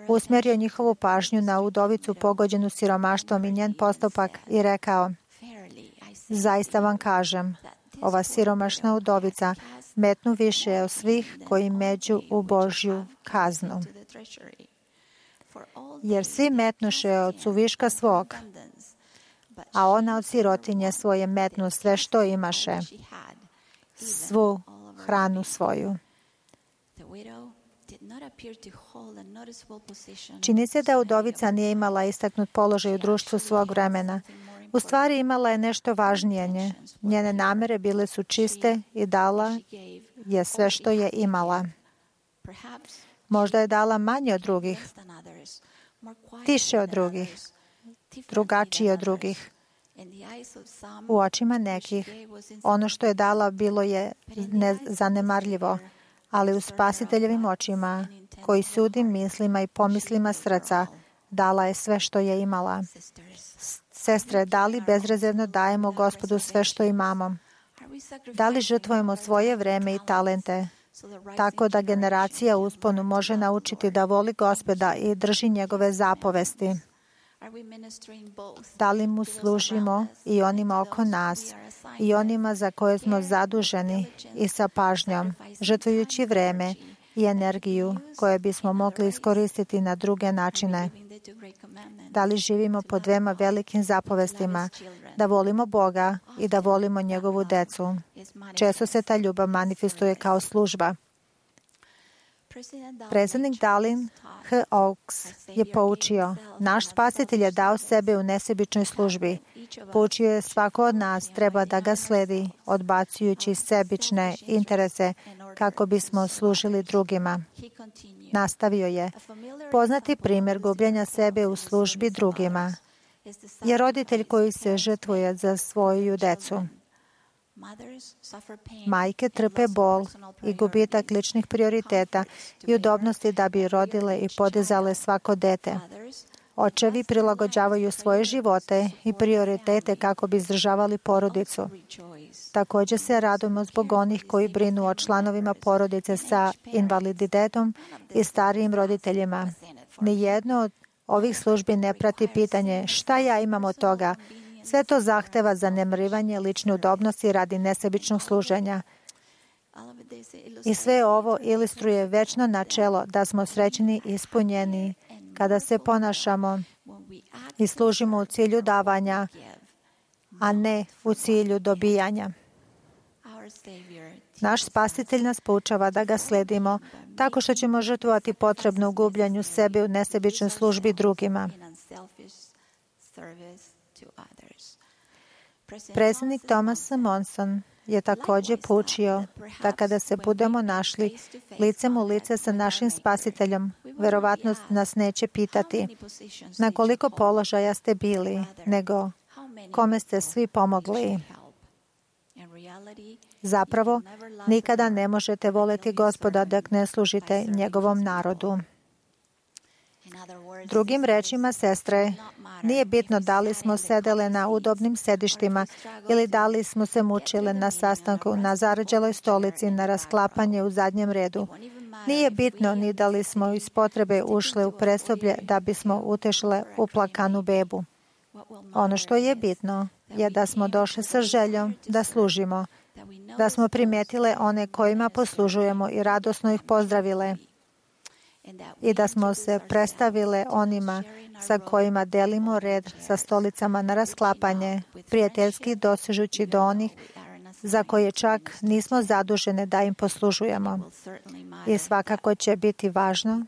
usmjerio njihovu pažnju na udovicu pogođenu siromaštvom i njen postupak i rekao, zaista vam kažem, ova siromašna udovica metnu više od svih koji među u Božju kaznu. Jer svi metnuše od suviška svog, a ona od sirotinje svoje metnu sve što imaše, svu hranu svoju. Čini se da udovica nije imala istaknut položaj u društvu svog vremena. U stvari imala je nešto važnije nje. Njene namere bile su čiste i dala je sve što je imala. Možda je dala manje od drugih, tiše od drugih, drugačije od drugih. U očima nekih ono što je dala bilo je nezanemarljivo, ali u Spasiteljevim očima, koji sudi mislima i pomislima srca, dala je sve što je imala. Sestre, da li bezrezervno dajemo Gospodu sve što imamo? Da li žrtvujemo svoje vreme i talente, tako da generacija u usponu može naučiti da voli Gospoda i drži njegove zapovesti? Da li mu služimo i onima oko nas, i onima za koje smo zaduženi i sa pažnjom, žrtvujući vreme i energiju koje bismo mogli iskoristiti na druge načine? Da li živimo po dvema velikim zapovestima, da volimo Boga i da volimo njegovu decu? Često se ta ljubav manifestuje kao služba. Predsjednik Dallin H. Oaks je poučio: naš Spasitelj je dao sebe u nesebičnoj službi. Poučio je svako od nas treba da ga sledi, odbacujući sebične interese kako bismo služili drugima. Nastavio je: poznati primjer gubljenja sebe u službi drugima je roditelj koji se žrtvuje za svoju decu. Majke trpe bol i gubitak ličnih prioriteta i udobnosti da bi rodile i podizale svako dete. Očevi prilagođavaju svoje živote i prioritete kako bi izdržavali porodicu. Također se radujemo zbog onih koji brinu o članovima porodice sa invaliditetom i starijim roditeljima. Nijedno od ovih službi ne prati pitanje šta ja imam od toga. Sve to zahteva zanemarivanje lične udobnosti radi nesebičnog služenja. I sve ovo ilustruje večno načelo da smo srećni i ispunjeni kada se ponašamo i služimo u cilju davanja, a ne u cilju dobijanja. Naš Spasitelj nas poučava da ga sledimo tako što ćemo žrtvovati potrebno u gubljanju sebe u nesebičnoj službi drugima. Predsjednik Thomas Monson je također poučio da kada se budemo našli licem u lice sa našim Spasiteljem, verovatno nas neće pitati na koliko položaja ste bili, nego kome ste svi pomogli. Zapravo, nikada ne možete voleti Gospoda dok ne služite njegovom narodu. Drugim rečima, sestre, nije bitno da li smo sedele na udobnim sedištima ili da li smo se mučile na sastanku na zarađeloj stolici na rasklapanje u zadnjem redu. Nije bitno ni da li smo iz potrebe ušle u presoblje da bismo utešile uplakanu bebu. Ono što je bitno je da smo došli sa željom da služimo, da smo primijetile one kojima poslužujemo i radosno ih pozdravile, i da smo se predstavile onima sa kojima delimo red sa stolicama na rasklapanje, prijateljski dosežući do onih za koje čak nismo zadužene da im poslužujemo. I svakako će biti važno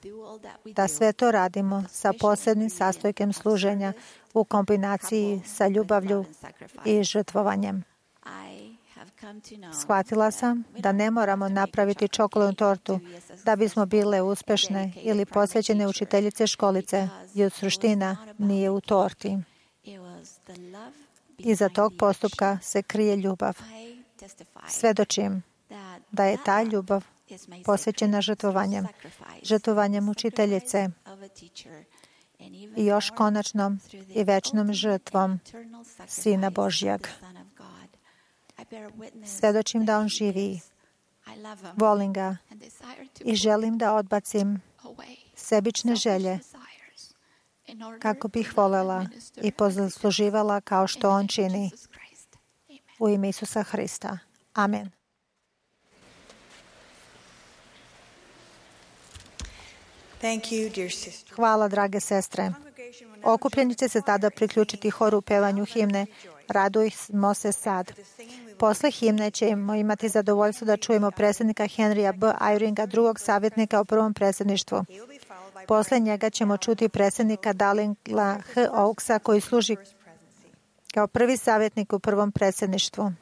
da sve to radimo sa posebnim sastojkem služenja u kombinaciji sa ljubavlju i žrtvovanjem. Shvatila sam da ne moramo napraviti čokoladnu tortu da bismo bile uspešne ili posvećene učiteljice školice, jer suština nije u torti. Iza tog postupka se krije ljubav. Svedočim da je ta ljubav posvećena žrtvovanjem, žrtvovanjem učiteljice i još konačnom i večnom žrtvom Sina Božjeg. Svedočim da on živi. Volim ga i želim da odbacim sebične želje kako bih volela i posluživala kao što on čini. U ime Isusa Hrista. Amen. Thank you, dear sister. Hvala, drage sestre. Okupljeni će se tada priključiti horu u pevanju himne Radujmo se sad. Posle himne ćemo imati zadovoljstvo da čujemo predsjednika Henrya B. Eyringa, drugog savjetnika u prvom predsjedništvu. Posle njega ćemo čuti predsjednika Darlinga H. Oaksa, koji služi kao prvi savjetnik u prvom predsjedništvu.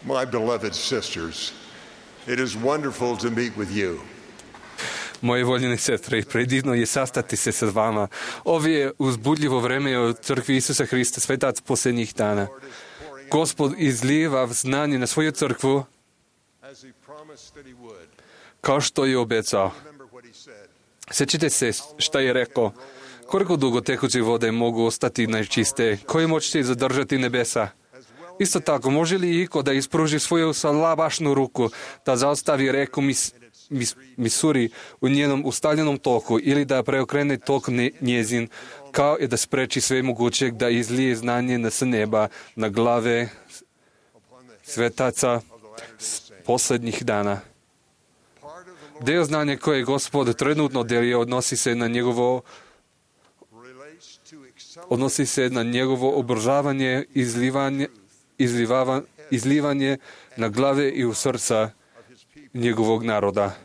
My beloved sisters, it is wonderful to meet with you. Moje voljene sestre, predivno je sastati se sa vama. Ovo je uzbudljivo vreme u crkvi Isusa Hrista, svetac posljednjih dana. Gospod izlijeva znanje na svoju crkvu kao što je obećao. Sjećate se šta je rekao? Koliko dugo tekuće vode mogu ostati najčiste? Koje moćete zadržati nebesa? Isto tako, može li iko da ispruži svoju salabašnu ruku, da zaustavi reku mis, mis, Misuri u njenom ustaljenom toku ili da preokrene tok ne, njezin, kao i da spreči sve mogućeg da izlije znanje na s neba, na glave svetaca posljednjih dana. Deo znanja koje Gospod trenutno deli odnosi se na njegovo odnosi se na njegovo obržavanje, izlivanje, izlivava, izlivanje na glave i u srca njegovog naroda.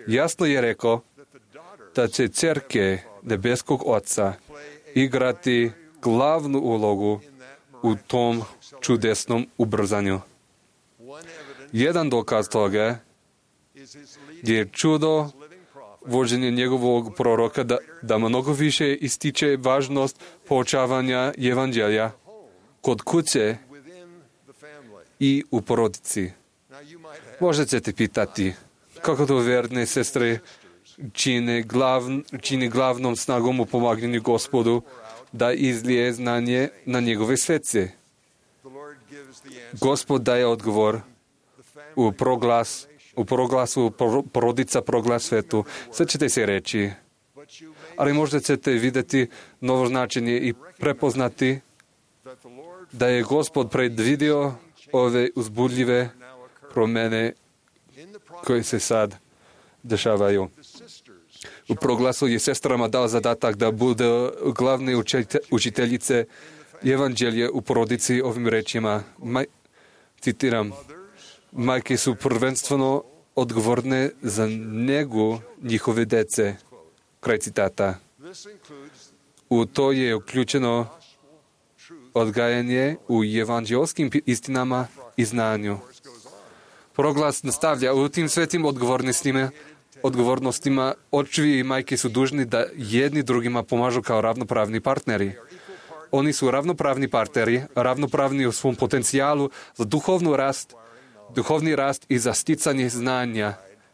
Jasno je rekao da će cerke nebeskog Oca igrati glavnu ulogu u tom čudesnom ubrzanju. Jedan dokaz toga je čudo vođenje njegovog proroka da, da mnogo više ističe važnost poučavanja evanđelja kod kuće i u porodici. Možete te pitati kako to verne sestre čine, glavn, čini glavnom snagom u pomaganju Gospodu da izlije znanje na njegove svece. Gospod daje odgovor u proglas u proglasu porodica proglas svetu. Sad ćete se reći, ali možda ćete vidjeti novo značenje i prepoznati da je Gospod predvidio ove uzbudljive promjene koje se sad dešavaju. U proglasu je sestrama dao zadatak da bude glavne učiteljice evanđelje u porodici ovim rečima. Maj, citiram, majke su prvenstveno odgovorne za njegu njihove dece. Kraj citata. U to je uključeno odgajanje u evanđelskim istinama i znanju. Proglas nastavlja, u tim svetim odgovornostima, odgovornostima očevi i majke su dužni da jedni drugima pomažu kao ravnopravni partneri. Oni su ravnopravni partneri, ravnopravni u svom potencijalu za duhovnu rast, duhovni rast i za sticanje znanja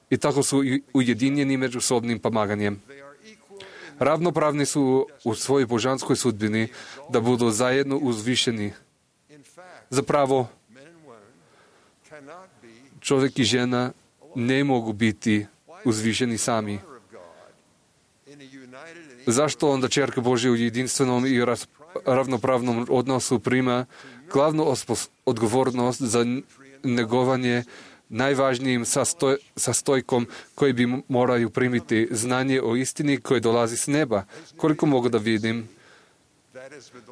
i tako su ujedinjeni međusobnim pomaganjem. Ravnopravni su u svojoj božanskoj sudbini da budu zajedno uzvišeni. Zapravo, čovjek i žena ne mogu biti uzvišeni sami. Zašto onda Čerka Božja u jedinstvenom i ravnopravnom odnosu prima glavnu odgovornost za negovanje najvažnijim sastoj, sastojkom koji bi moraju primiti znanje o istini koje dolazi s neba? Koliko mogu da vidim,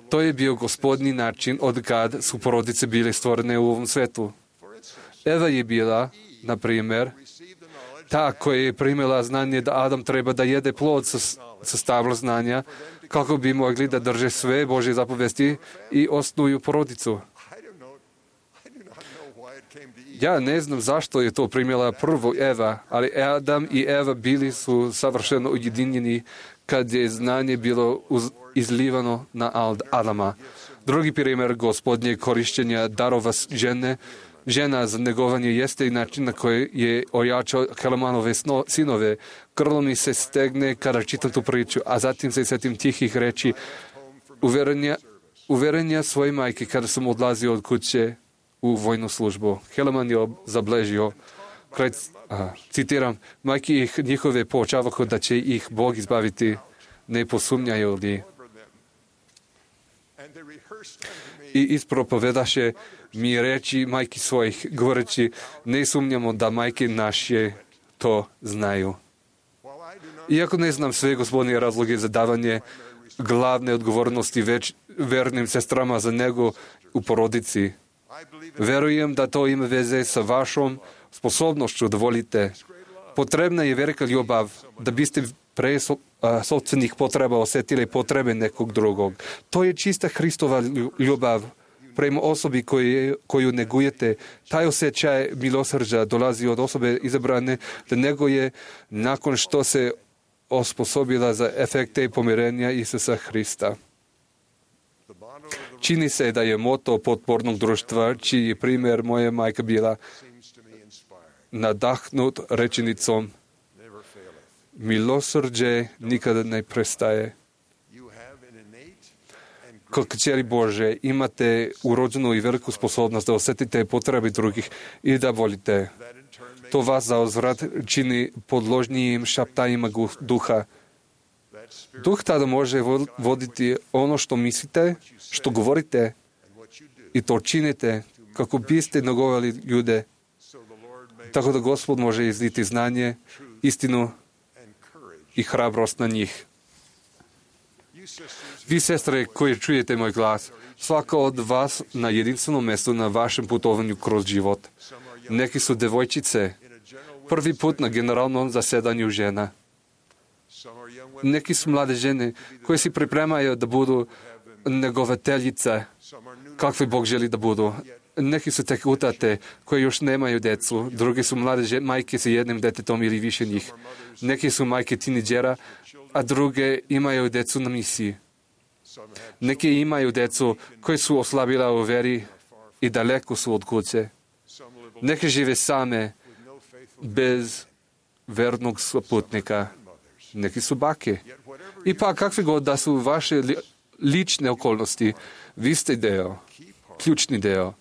to je bio Gospodnji način od kad su porodice bile stvorene u ovom svetu. Eva je bila, na primjer, ta koja je primila znanje da Adam treba da jede plod sa, sa stabla znanja kako bi mogli da drže sve Božje zapovesti i osnuju porodicu. Ja ne znam zašto je to primila prvo Eva, ali Adam i Eva bili su savršeno ujedinjeni kad je znanje bilo uz, izlivano na Adama. Drugi primjer Gospodnje korišćenja darova žene, žena za negovanje jeste i način na koji je ojačao Helamanove sinove. Grlo mi se stegne kada čitam tu priču, a zatim se setim tihih reči uverenja, uverenja svoje majke kada sam odlazio od kuće u vojnu službu. Helaman je zabležio, kraj, a, citiram, majke ih njihove poučavahu da će ih Bog izbaviti, ne posumnjaju li. I ispropovedaše mi reči majki svojih, govoreći, ne sumnjamo da majke naše to znaju. Iako ne znam sve Gospodnje razloge za davanje glavne odgovornosti već vernim sestrama za nego u porodici, verujem da to ima veze sa vašom sposobnošću da volite. Potrebna je velika ljubav da biste pre sopstvenih potreba osjetili potrebe nekog drugog. To je čista Hristova ljubav prema osobi koju, koju negujete. Taj osjećaj milosrđa dolazi od osobe izabrane da neguje nakon što se osposobila za efekte pomirenja Isusa Hrista. Čini se da je moto potpornog društva, čiji primjer moja majka bila, nadahnut rečenicom milosrđe nikada ne prestaje. Kao kćeri Bože imate urođenu i veliku sposobnost da osjetite potrebe drugih i da volite. To vas za uzvrat čini podložnijim šaptajima duha. Duh tada može voditi ono što mislite, što govorite i to činite kako biste nagovali ljude tako da Gospod može izliti znanje, istinu i hrabrost na njih. Vi, sestre, koji čujete moj glas, svaka od vas na jedinstvenom mjestu na vašem putovanju kroz život. Neki su devojčice, prvi put na generalnom zasedanju žena. Neki su mlade žene koje se pripremaju da budu negovateljice, kakve Bog želi da budu. Neki su tek utate koje još nemaju decu, drugi su mlade žene, majke sa jednim detetom ili više njih. Neki su majke tineđera, a druge imaju decu na misiji. Neki imaju decu koji su oslabila u veri i daleko su od kuće. Neki žive same, bez vernog putnika. Neki su bake. I pa kakve god da su vaše li, lične okolnosti, vi ste deo, ključni deo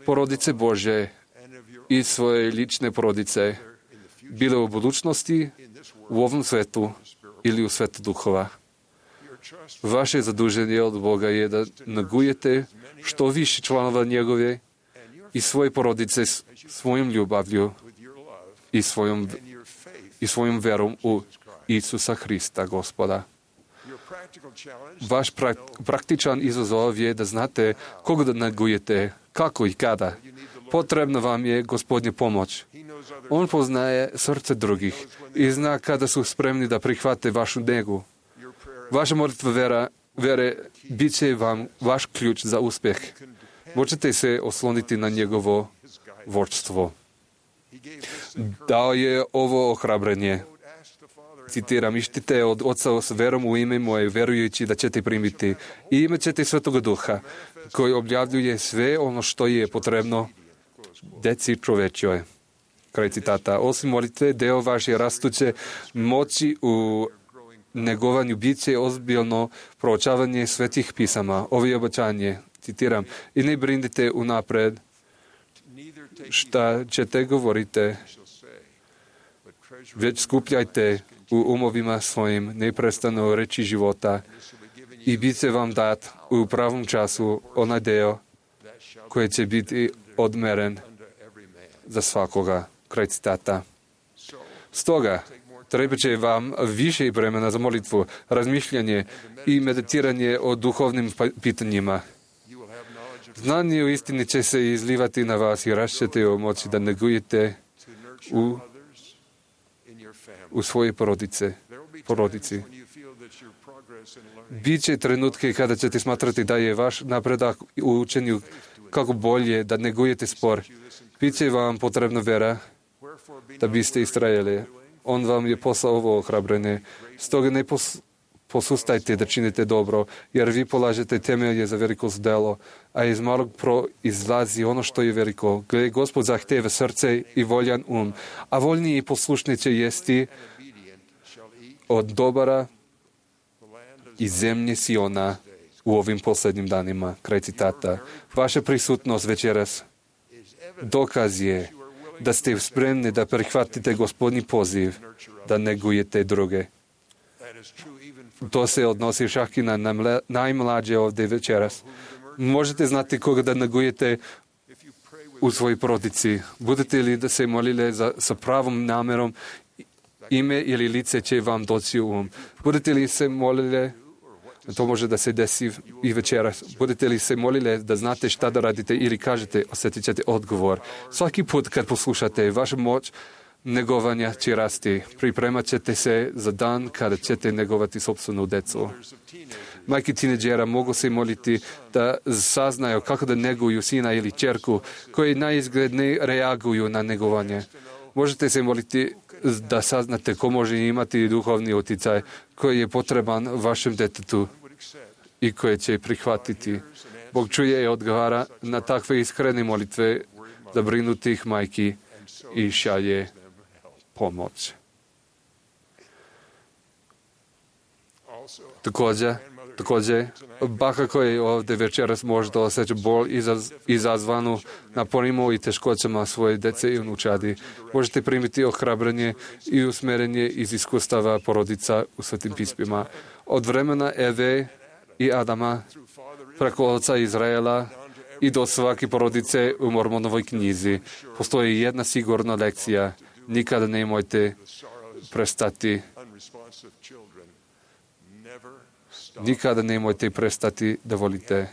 porodice Bože i svoje lične porodice, bile u budućnosti, u ovom svetu ili u svetu duhova. Vaše zaduženje od Boga je da nagujete što više članova njegove i svoje porodice svojom ljubavlju i svojom, i svojom verom u Isusa Hrista, Gospoda. Vaš prak, praktičan izazov je da znate koga da nagujete, kako i kada. Potrebna vam je Gospodnja pomoć. On poznaje srce drugih i zna kada su spremni da prihvate vašu negu. Vaša molitva vera, vere bit će vam vaš ključ za uspjeh. Možete se osloniti na njegovo vodstvo. Dao je ovo ohrabrenje. Citiram, ištite od Oca s verom u ime moje, verujući da ćete primiti. I imat ćete Svetoga Duha, koji objavljuje sve ono što je potrebno deci čovečjoj. Kraj citata. Osim molitve, deo vaše rastuće moći u negovanju bit će ozbiljno proučavanje svetih pisama. Ovo je obećanje. Citiram, i ne brinite unapred šta ćete govorite, već skupljajte u umovima svojim neprestano reči života i bit će vam dat u pravom času onaj deo koji će biti odmeren za svakoga. Kraj citata. Stoga, treba će vam više vremena za molitvu, razmišljanje i meditiranje o duhovnim pitanjima. Znanje u istini će se izlivati na vas i rašćete o moći da negujete u, u svoje porodice, porodici. Biće trenutke kada ćete smatrati da je vaš napredak u učenju kako bolje da negujete spor. Biće vam potrebna vera da biste istrajali. On vam je poslao ovo ohrabrenje. Stoga ne pos, posustajte da činite dobro, jer vi polažete temelje za veliko delo, a iz malog proizlazi ono što je veliko. Gle, Gospod zahteva srce i voljan um, a voljni i poslušni će jesti od dobara i zemlje Siona u ovim posljednjim danima. Kraj citata. Vaša prisutnost večeras dokaz je da ste spremni da prihvatite Gospodnji poziv, da negujete druge. To se odnosi čak i na najmlađe ovdje večeras. Možete znati koga da negujete u svojoj porodici. Budete li da se molile za, sa pravom namjerom, ime ili lice će vam doći u um. Budete li se molile, to može da se desi i večeras, budete li se molile da znate šta da radite ili kažete, osjetit ćete odgovor. Svaki put kad poslušate, vaša moć negovanja će rasti. Pripremat ćete se za dan kada ćete negovati sopstvenu decu. Majke tineđera mogu se moliti da saznaju kako da neguju sina ili ćerku koji naizgled ne reaguju na negovanje. Možete se moliti da saznate ko može imati duhovni utjecaj koji je potreban vašem detetu i koje će prihvatiti. Bog čuje i odgovara na takve iskrene molitve zabrinutih majki i šalje pomoć. Također, također, baka koji ovdje večeras možda osjeća bol izaz, izazvanu naporima i teškoćama svoje dece i unučadi. Možete primiti ohrabrenje i usmjerenje iz iskustava porodica u Svetim pismima. Od vremena Eve i Adama, preko oca Izraela i do svake porodice u Mormonovoj knjizi postoji jedna sigurna lekcija. Nikada nemojte prestati nikada nemojte prestati da volite.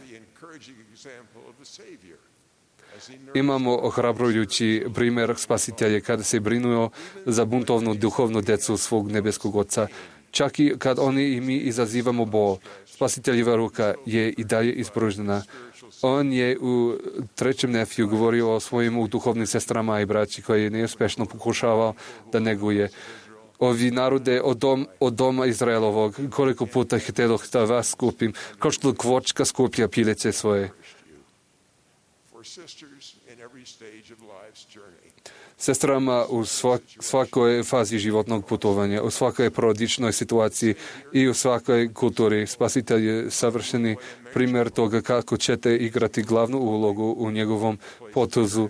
Imamo ohrabrujući primjer spasitelja kada se brinuo za buntovnu duhovnu decu svog nebeskog Oca. Čak i kad oni i mi izazivamo bol, spasiteljeva ruka je i dalje ispružena. On je u trećem nefiju govorio o svojim duhovnim sestrama i braći koji je neuspešno pokušavao da neguje. Ovi narode od, dom, od doma Izraelovog, koliko puta htjeloh da vas skupim, kao što kvočka skuplja pileće svoje. Sestrama u svak, svakoj fazi životnog putovanja, u svakoj porodičnoj situaciji i u svakoj kulturi. Spasitelj je savršeni primjer toga kako ćete igrati glavnu ulogu u njegovom potezu,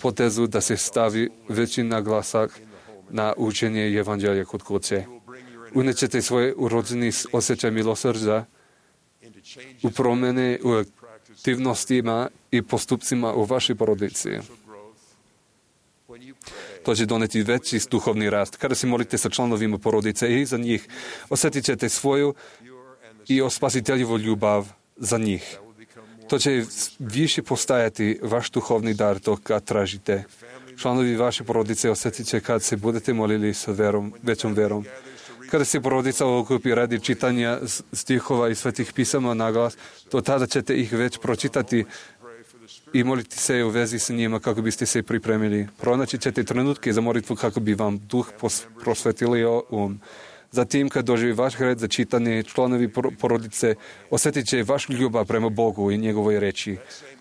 potezu da se stavi veći naglasak na učenje evanđelja kod kuće. Unećete svoje urođeni osjećaj milosrđa u promjene u aktivnostima i postupcima u vašoj porodici. To će doneti veći duhovni rast. Kada se molite sa članovima porodice i za njih, osjetit ćete svoju i o spasiteljevu ljubav za njih. To će više postajati vaš duhovni dar to kad tražite. Članovi vaše porodice osjetit će kad se budete molili sa verom, većom verom. Kada se porodica okupi radi čitanja stihova i svetih pisama na glas, to tada ćete ih već pročitati i moliti se u vezi s njima kako biste se pripremili. Pronaći ćete trenutke za molitvu kako bi vam duh prosvetilio um. Zatim, kad doživi vaš red za čitanje, članovi porodice osjetit će vaš ljubav prema Bogu i njegovoj reči.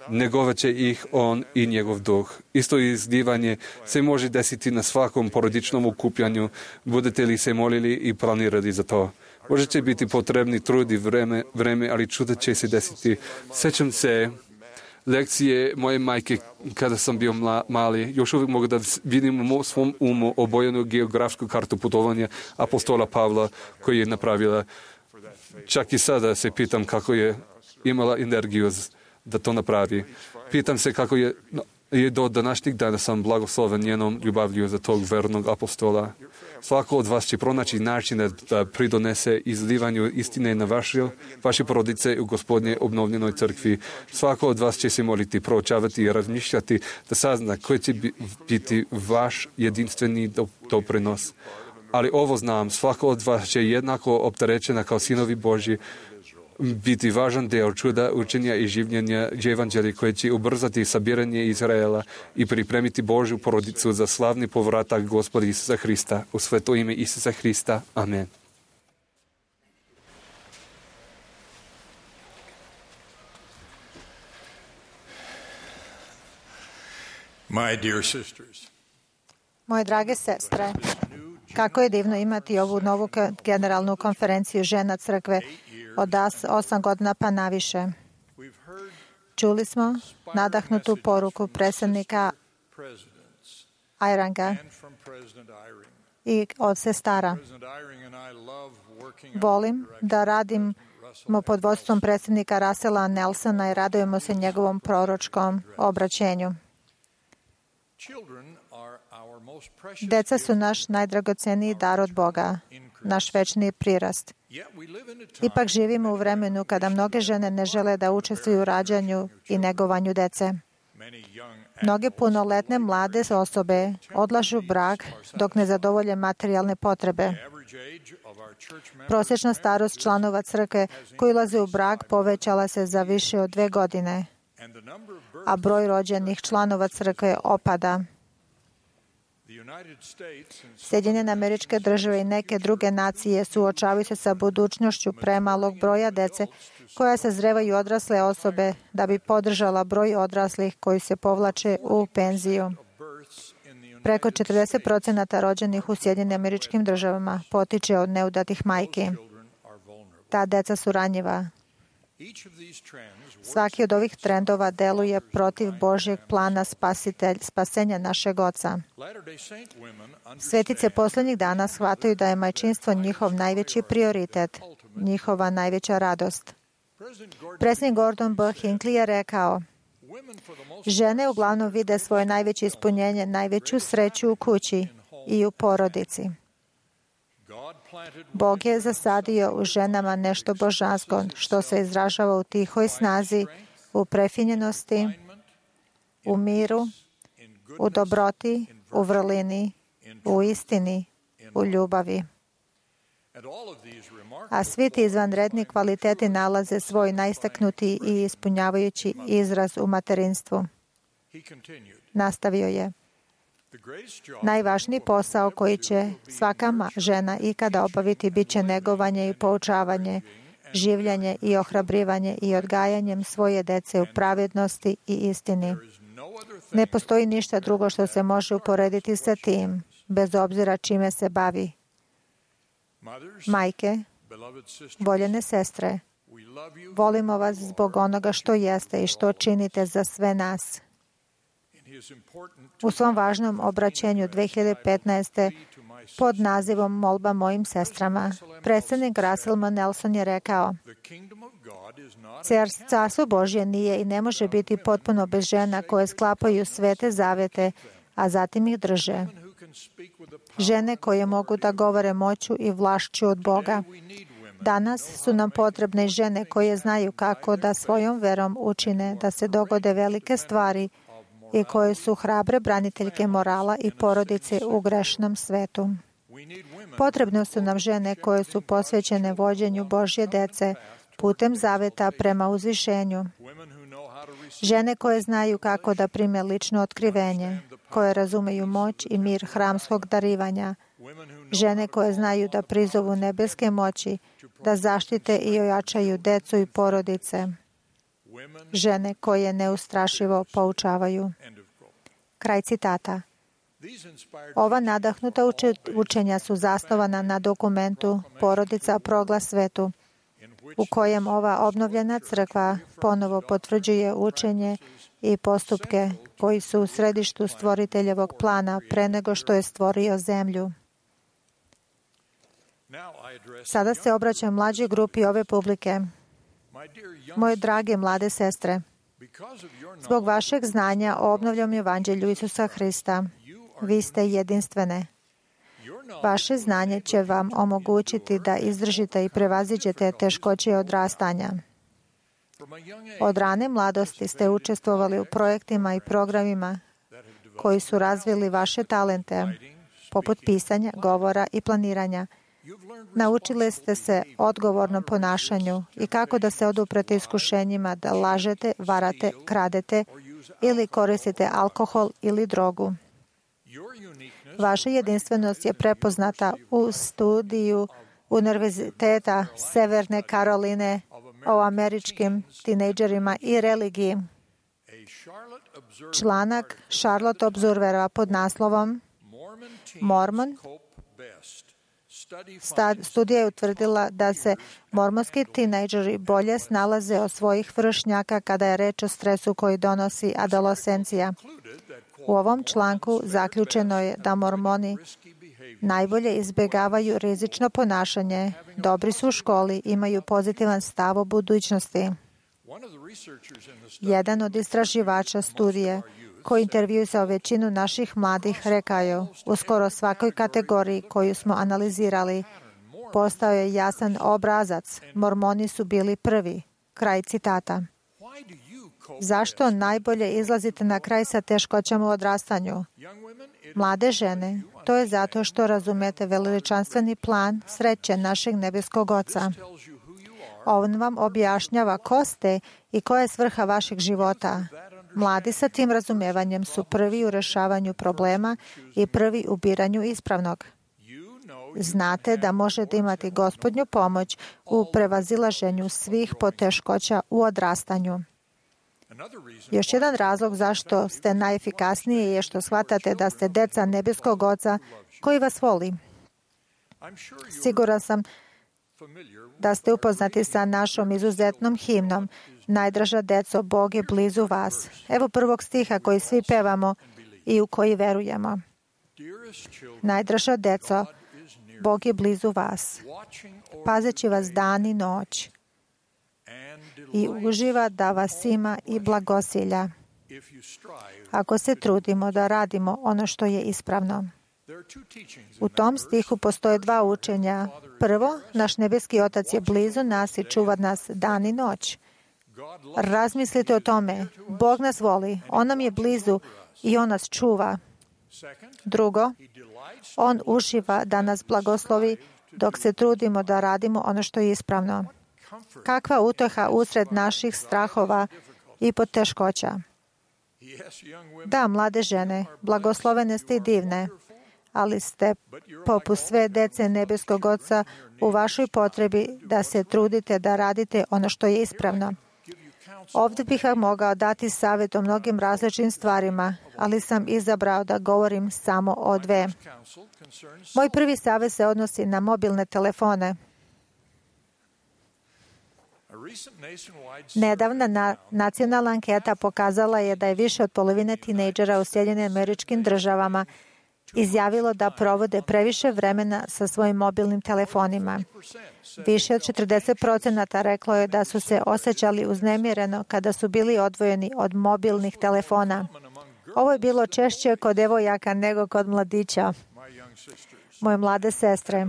Negovat će ih on i njegov duh. Isto izdivanje se može desiti na svakom porodičnom okupljanju, budete li se molili i planirali za to. Može će biti potrebni trud i vreme, vreme ali čuda će se desiti. Sjećam se lekcije moje majke kada sam bio mla, mali. Još uvijek mogu da vidim u svom umu obojenu geografsku kartu putovanja apostola Pavla koji je napravila. Čak i sada se pitam kako je imala energiju da to napravi. Pitam se kako je, je do današnjeg dana sam blagosloven njenom ljubavlju za tog vernog apostola. Svako od vas će pronaći načine da pridonese izlivanju istine na vaše, vaše porodice u Gospodnje obnovljenoj crkvi. Svako od vas će se moliti, proučavati i razmišljati da sazna koji će biti vaš jedinstveni doprinos. Ali ovo znam, svako od vas će jednako opterećena kao sinovi Božji biti važan deo čuda učenja i življenja evanđelja koje će ubrzati sabiranje Izraela i pripremiti Božju porodicu za slavni povratak Gospoda Isusa Hrista. U sveto ime Isusa Hrista. Amen. My dear sisters, Moje drage sestre, kako je divno imati ovu novu generalnu konferenciju žena crkve od osam godina pa naviše. Čuli smo nadahnutu poruku predsjednika Iranga i od sestara. Volim da radimo pod vodstvom predsjednika Russella Nelsona i radujemo se njegovom proročkom obraćenju. Deca su naš najdragoceniji dar od Boga, naš večni prirast. Ipak živimo u vremenu kada mnoge žene ne žele da učestvuju u rađanju i negovanju dece. Mnoge punoletne mlade osobe odlažu brak dok ne zadovolje materijalne potrebe. Prosječna starost članova crkve koji ulaze u brak povećala se za više od dve godine, a broj rođenih članova crkve opada. Sjedinjene Američke Države i neke druge nacije suočavaju se sa budućnošću premalog broja dece koja sazrevaju odrasle osobe da bi podržala broj odraslih koji se povlače u penziju. Preko četrdeset procenata rođenih u Sjedinjenim Američkim Državama potiče od neudatih majki. Ta deca su ranjiva. Svaki od ovih trendova deluje protiv Božjeg plana spasitelj, spasenja našeg Oca. Svetice posljednjih dana shvataju da je majčinstvo njihov najveći prioritet, njihova najveća radost. Predsjednik Gordon B. Hinckley je rekao, Žene uglavnom vide svoje najveće ispunjenje, najveću sreću u kući i u porodici. Bog je zasadio u ženama nešto božansko, što se izražava u tihoj snazi, u prefinjenosti, u miru, u dobroti, u vrlini, u istini, u ljubavi. A svi ti izvanredni kvaliteti nalaze svoj najistaknutiji i ispunjavajući izraz u materinstvu. Nastavio je. Najvažniji posao koji će svaka žena ikada obaviti bit će negovanje i poučavanje, življenje i ohrabrivanje i odgajanjem svoje dece u pravednosti i istini. Ne postoji ništa drugo što se može uporediti sa tim, bez obzira čime se bavi. Majke, voljene sestre, volimo vas zbog onoga što jeste i što činite za sve nas. U svom važnom obraćenju dve hiljade petnaeste pod nazivom Molba mojim sestrama, predsjednik Russell M. Nelson je rekao: Carstvo Božje nije i ne može biti potpuno bez žena koje sklapaju svete zavete, a zatim ih drže. Žene koje mogu da govore moću i vlašću od Boga. Danas su nam potrebne žene koje znaju kako da svojom verom učine da se dogode velike stvari i koje su hrabre braniteljke morala i porodice u grešnom svetu. Potrebne su nam žene koje su posvećene vođenju Božje dece putem zaveta prema uzvišenju. Žene koje znaju kako da prime lično otkrivenje, koje razumeju moć i mir hramskog darivanja. Žene koje znaju da prizovu nebeske moći, da zaštite i ojačaju decu i porodice. Žene koje neustrašivo poučavaju. Kraj citata. Ova nadahnuta učenja su zasnovana na dokumentu Porodica proglas svetu, u kojem ova obnovljena crkva ponovo potvrđuje učenje i postupke koji su u središtu stvoriteljevog plana pre nego što je stvorio zemlju. Sada se obraćam mlađoj grupi ove publike. Moje drage mlade sestre, zbog vašeg znanja o obnovljenom evanđelju Isusa Hrista, vi ste jedinstvene. Vaše znanje će vam omogućiti da izdržite i prevaziđete teškoće odrastanja. Od rane mladosti ste učestvovali u projektima i programima koji su razvili vaše talente, poput pisanja, govora i planiranja. Naučili ste se odgovornom ponašanju i kako da se oduprete iskušenjima da lažete, varate, kradete ili koristite alkohol ili drogu. Vaša jedinstvenost je prepoznata u studiju Univerziteta Severne Karoline o američkim tinejdžerima i religiji. Članak Charlotte Observera pod naslovom Mormon. Studija je utvrdila da se mormonski tinejdžeri bolje snalaze od svojih vršnjaka kada je reč o stresu koji donosi adolescencija. U ovom članku zaključeno je da mormoni najbolje izbjegavaju rizično ponašanje, dobri su u školi, imaju pozitivan stav o budućnosti. Jedan od istraživača studije, koji intervjuisao većinu naših mladih, rekao je: u skoro svakoj kategoriji koju smo analizirali, postao je jasan obrazac. Mormoni su bili prvi. Kraj citata. Zašto najbolje izlazite na kraj sa teškoćama u odrastanju? Mlade žene, to je zato što razumete veličanstveni plan sreće našeg nebeskog Oca. On vam objašnjava ko ste i koja je svrha vašeg života. Mladi sa tim razumevanjem su prvi u rešavanju problema i prvi u biranju ispravnog. Znate da možete imati Gospodnju pomoć u prevazilaženju svih poteškoća u odrastanju. Još jedan razlog zašto ste najefikasniji je što shvatate da ste deca nebeskog Oca koji vas voli. Siguran sam da ste upoznati sa našom izuzetnom himnom Najdraža deco, Bog je blizu vas. Evo prvog stiha koji svi pevamo i u koji verujemo. Najdraža deco, Bog je blizu vas, pazeći vas dan i noć i uživa da vas ima i blagosilja. ako se trudimo da radimo ono što je ispravno. U tom stihu postoje dva učenja. Prvo, naš nebeski Otac je blizu nas i čuva nas dan i noć. Razmislite o tome. Bog nas voli, On nam je blizu i On nas čuva. Drugo, On uživa da nas blagoslovi dok se trudimo da radimo ono što je ispravno. Kakva uteha usred naših strahova i poteškoća. Da, mlade žene, blagoslovene ste i divne, ali ste poput sve dece nebeskog Oca u vašoj potrebi da se trudite da radite ono što je ispravno. Ovdje bih vam mogao dati savjet o mnogim različitim stvarima, ali sam izabrao da govorim samo o dve. Moj prvi savjet se odnosi na mobilne telefone. Nedavna na, nacionalna anketa pokazala je da je više od polovine tinejdžera u Sjedinjenim Američkim Državama izjavilo da provode previše vremena sa svojim mobilnim telefonima. Više od četrdeset procenata reklo je da su se osjećali uznemireno kada su bili odvojeni od mobilnih telefona. Ovo je bilo češće kod devojaka nego kod mladića. Moje mlade sestre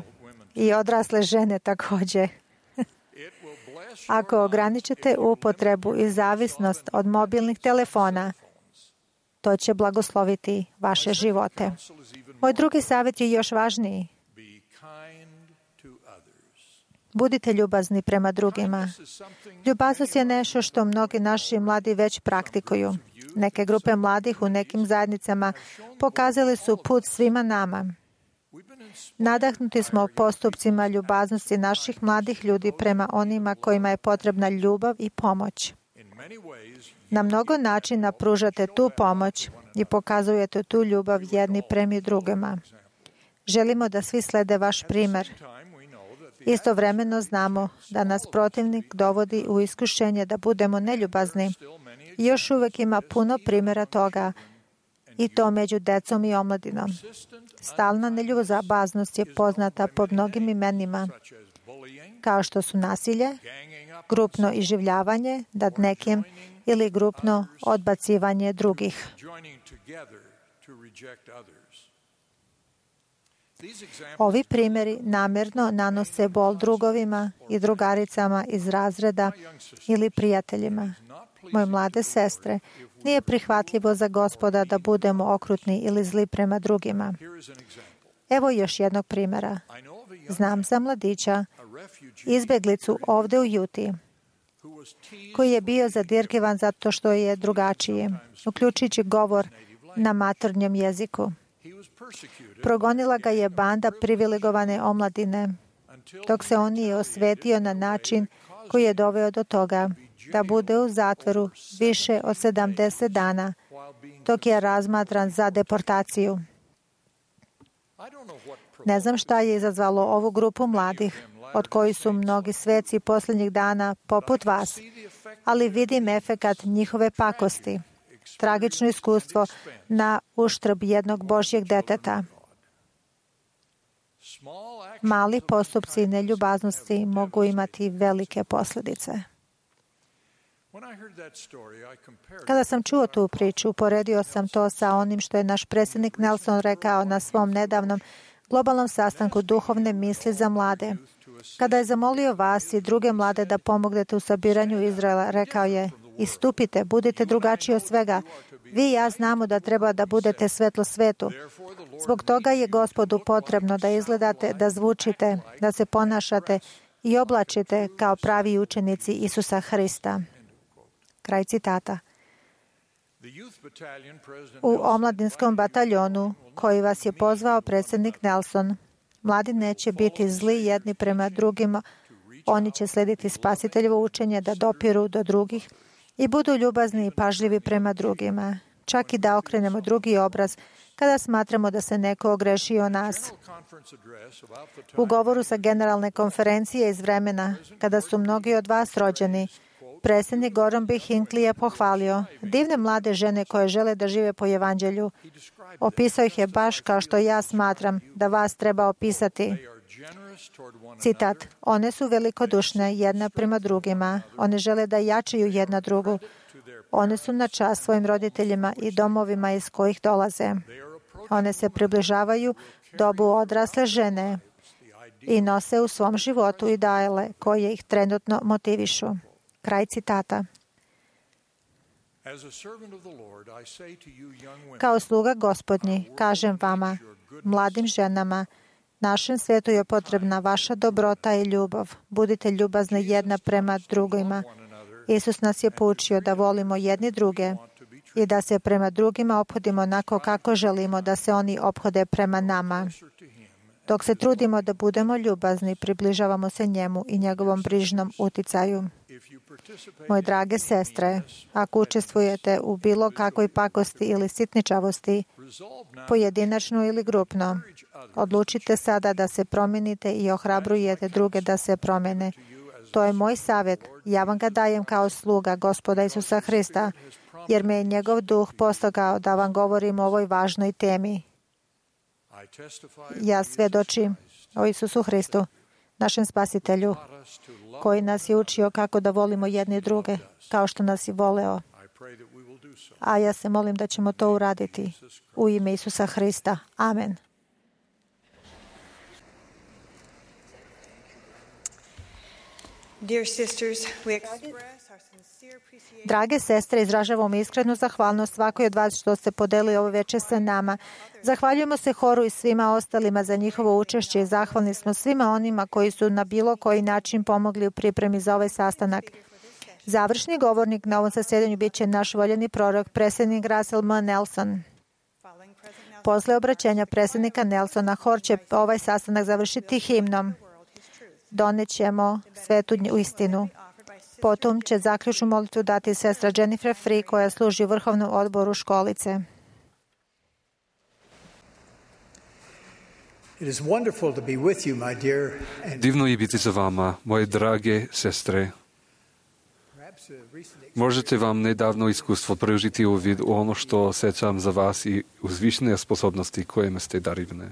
i odrasle žene također. Ako ograničite upotrebu i zavisnost od mobilnih telefona, to će blagosloviti vaše živote. Moj drugi savjet je još važniji. Budite ljubazni prema drugima. Ljubaznost je nešto što mnogi naši mladi već praktikuju. Neke grupe mladih u nekim zajednicama pokazali su put svima nama. Nadahnuti smo postupcima ljubaznosti naših mladih ljudi prema onima kojima je potrebna ljubav i pomoć. Na mnogo načina pružate tu pomoć i pokazujete tu ljubav jedni prema drugima. Želimo da svi slede vaš primjer. Istovremeno znamo da nas protivnik dovodi u iskušenje da budemo neljubazni. I još uvijek ima puno primjera toga, i to među decom i omladinom. Stalna neljubaznost je poznata po mnogim imenima, kao što su nasilje, grupno iživljavanje nad nekim ili grupno odbacivanje drugih. Ovi primjeri namjerno nanose bol drugovima i drugaricama iz razreda ili prijateljima. Moje mlade sestre, nije prihvatljivo za Gospoda da budemo okrutni ili zli prema drugima. Evo još jednog primjera. Znam za mladića, izbjeglicu ovdje u Juti, koji je bio zadirkivan zato što je drugačiji, uključujući govor na maternjem jeziku. Progonila ga je banda privilegovane omladine, dok se on nije osvetio na način koji je doveo do toga da bude u zatvoru više od sedamdeset dana, dok je razmatran za deportaciju. Ne znam šta je izazvalo ovu grupu mladih, od kojih su mnogi sveci posljednjih dana poput vas, ali vidim efekat njihove pakosti, tragično iskustvo na uštrb jednog Božjeg deteta. Mali postupci neljubaznosti mogu imati velike posljedice. Kada sam čuo tu priču, uporedio sam to sa onim što je naš predsjednik Nelson rekao na svom nedavnom globalnom sastanku duhovne misli za mlade. Kada je zamolio vas i druge mlade da pomognete u sabiranju Izraela, rekao je: istupite, budite drugačiji od svega. Vi i ja znamo da treba da budete svetlo svetu. Zbog toga je Gospodu potrebno da izgledate, da zvučite, da se ponašate i oblačite kao pravi učenici Isusa Hrista. Kraj citata. U omladinskom bataljonu koji vas je pozvao predsjednik Nelson, mladi neće biti zli jedni prema drugima. Oni će slediti Spasiteljevo učenje da dopiru do drugih i budu ljubazni i pažljivi prema drugima, čak i da okrenemo drugi obraz kada smatramo da se neko ogrešio o nas. U govoru sa generalne konferencije iz vremena, kada su mnogi od vas rođeni, predsjednik Gordon B. Hinckley je pohvalio divne mlade žene koje žele da žive po evanđelju. Opisao ih je baš kao što ja smatram da vas treba opisati. Citat: one su velikodušne jedna prema drugima. One žele da jačaju jedna drugu. One su na čast svojim roditeljima i domovima iz kojih dolaze. One se približavaju dobu odrasle žene i nose u svom životu ideale koje ih trenutno motivišu. Kraj citata. Kao sluga Gospodnji, kažem vama, mladim ženama, našem svijetu je potrebna vaša dobrota i ljubav. Budite ljubazni jedna prema drugima. Isus nas je poučio da volimo jedni druge i da se prema drugima ophodimo onako kako želimo da se oni ophode prema nama. Dok se trudimo da budemo ljubazni, približavamo se njemu i njegovom brižnom uticaju. Moje drage sestre, ako učestvujete u bilo kakvoj pakosti ili sitničavosti, pojedinačno ili grupno, odlučite sada da se promijenite i ohrabrujete druge da se promijene. To je moj savjet. Ja vam ga dajem kao sluga Gospoda Isusa Hrista, jer me je njegov duh postakao da vam govorim o ovoj važnoj temi. Ja svjedočim o Isusu Hristu, našem Spasitelju, koji nas je učio kako da volimo jedni druge, kao što nas je voleo. A ja se molim da ćemo to uraditi u ime Isusa Hrista. Amen. Dear sisters, we express our sincere appreciation. Drage sestre, izražavamo iskrenu zahvalnost svakoj od vas što ste podelili ovo večer sa nama. Zahvaljujemo se horu i svima ostalima za njihovo učešće i zahvalni smo svima onima koji su na bilo koji način pomogli u pripremi za ovaj sastanak. Završni govornik na ovom zasjedanju bit će naš voljeni prorok, predsjednik Russell M. Nelson. Posle obraćenja predsjednika Nelsona, hor će ovaj sastanak završiti himnom. Donećemo svetu istinu. Potom će zaključnu molitvu dati sestra Jennifer Free, koja služi u vrhovnom odboru školice. Divno je biti za vama, moje drage sestre. Možete vam nedavno iskustvo preužiti uvid u ono što osjećam za vas i uzvišene sposobnosti kojima ste darivne.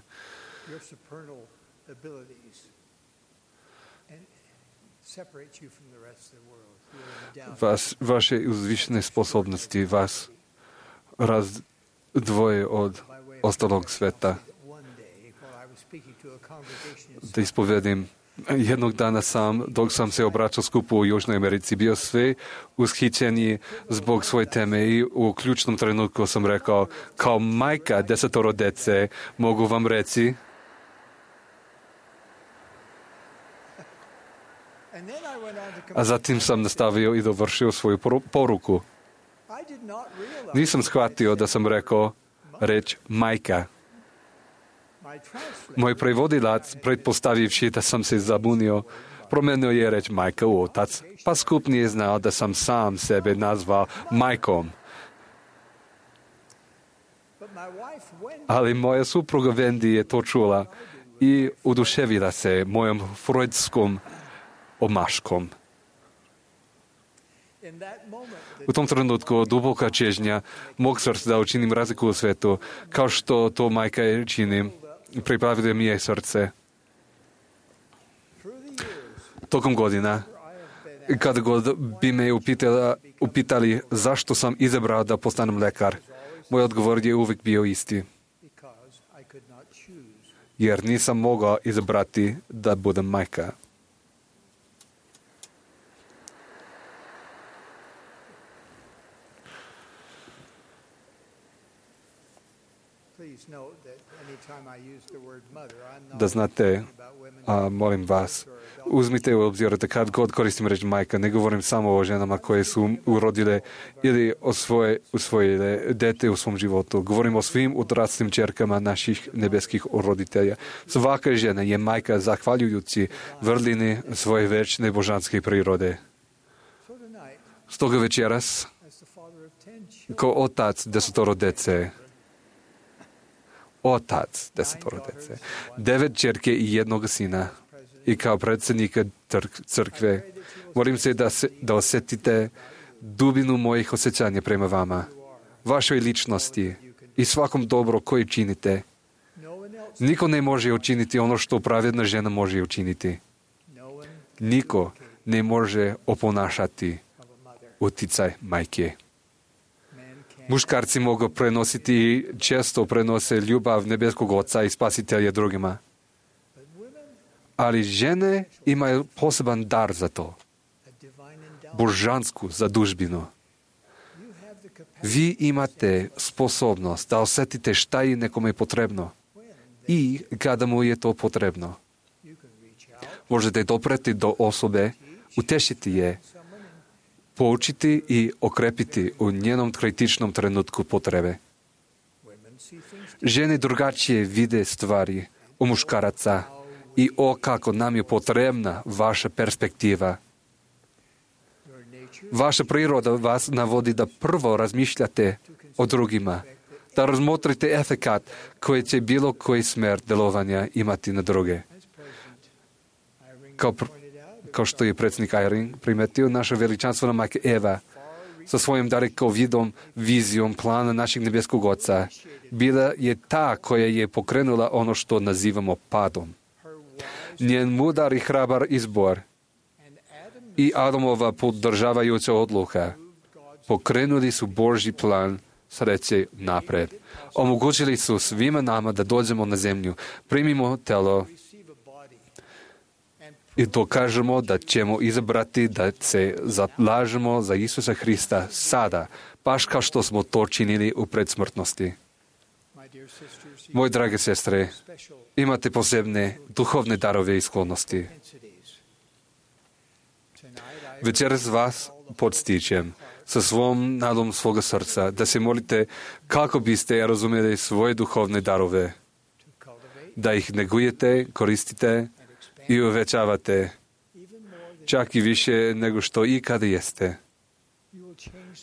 Vas, vaše uzvišene sposobnosti vas razdvoje od ostalog sveta. Da ispovedim, jednog dana sam, dok sam se obraćao skupu u Južnoj Americi, bio sve ushićeniji zbog svoje teme i u ključnom trenutku sam rekao, kao majka desetoro dece, mogu vam reći, a zatim sam nastavio i dovršio svoju poruku. Nisam shvatio da sam rekao reč majka. Moj prevodilac, pretpostavivši da sam se zabunio, promenio je reč majka u otac, pa skup nije znao da sam sam sebe nazvao majkom. Ali moja supruga Wendy je to čula i oduševila se mojom freudskom omaškom. U tom trenutku duboka čežnja mog srca da učinim razliku u svetu, kao što to majka činim, pripravila mi je srce. Tokom godina, kada god bi me upitala, upitali zašto sam izabrao da postanem lekar, moj odgovor je uvijek bio isti. Jer nisam mogao izabrati da budem majka. Da znate, a, molim vas, uzmite u obzir da kad god koristim reč majka, ne govorim samo o ženama koje su urodile ili osvoje, usvojile dete u svom životu. Govorim o svim odraslim čerkama naših nebeskih roditelja. Svaka žena je majka zahvaljujući vrlini svoje večne božanske prirode. Stoga večeras, kao otac desetoro dece, otac desetoro dece, devet čerke i jednog sina i kao predsjednika crkve, molim se da, se da osjetite dubinu mojih osjećanja prema vama, vašoj ličnosti i svakom dobro koje činite. Niko ne može učiniti ono što pravedna žena može učiniti. Niko ne može oponašati uticaj majke. Muškarci mogu prenositi i često prenose ljubav nebeskog Oca i Spasitelja drugima. Ali žene imaju poseban dar za to. Božansku zadužbinu. Vi imate sposobnost da osjetite šta je nekome potrebno i kada mu je to potrebno. Možete dopreti do osobe, utešiti je, poučiti i okrepiti u njenom kritičnom trenutku potrebe. Žene drugačije vide stvari u muškaraca i o kako nam je potrebna vaša perspektiva. Vaša priroda vas navodi da prvo razmišljate o drugima, da razmotrite efekat koji će bilo koji smer delovanja imati na druge. Kao, pr- kao što je predsjednik Eyring primetio, naša veličanstvena majka Eva sa svojim dalekovidom vizijom plana našeg nebeskog Oca bila je ta koja je pokrenula ono što nazivamo padom. Njen mudar i hrabar izbor i Adamova podržavajuća odluka pokrenuli su Božji plan sreće napred. Omogućili su svima nama da dođemo na zemlju, primimo telo i dokažemo da ćemo izabrati da se zalažemo za Isusa Hrista sada, baš kao što smo to činili u predsmrtnosti. Moje drage sestre, imate posebne duhovne darove i sklonosti. Večeras vas podstičem sa svom nadom svoga srca da se molite kako biste razumjeli svoje duhovne darove, da ih negujete, koristite i uvećavate, čak i više nego što ikada jeste.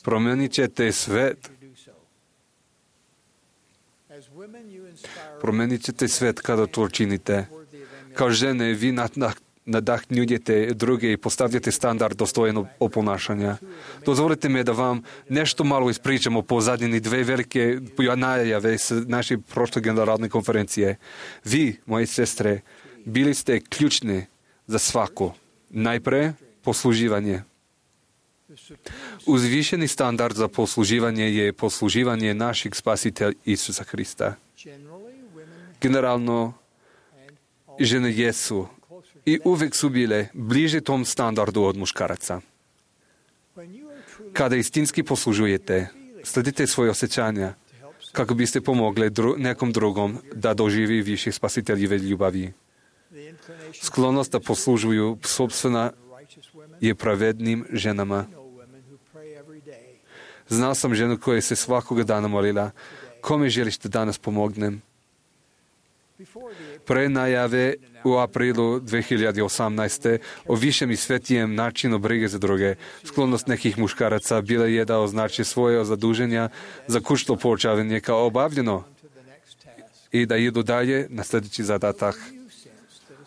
Promijenit ćete svet. Promijenit ćete svet kada to činite. Kao žene vi nadahnjujete druge i postavljate standard dostojnog oponašanja. Dozvolite me da vam nešto malo ispričam o pozadini dve velike najave s naše prošle generalne konferencije. Vi, moje sestre, bili ste ključni za svako. Najpre posluživanje. Uzvišeni standard za posluživanje je posluživanje našeg Spasitelja Isusa Hrista. Generalno, žene jesu i uvijek su bile bliže tom standardu od muškaraca. Kada istinski poslužujete, sledite svoje osjećanja kako biste pomogli dru- nekom drugom da doživi više spasiteljive ljubavi. Sklonost da poslužuju sobstvena je pravednim ženama. Znao sam ženu koja se svakoga dana molila, kome želiš da danas pomognem? Pre najave u aprilu dve hiljade osamnaeste o višem i svetijem načinu brige za druge, sklonost nekih muškaraca bila je da označi svoje zaduženja za kućno poučavanje kao obavljeno i da idu dalje na sljedeći zadatak.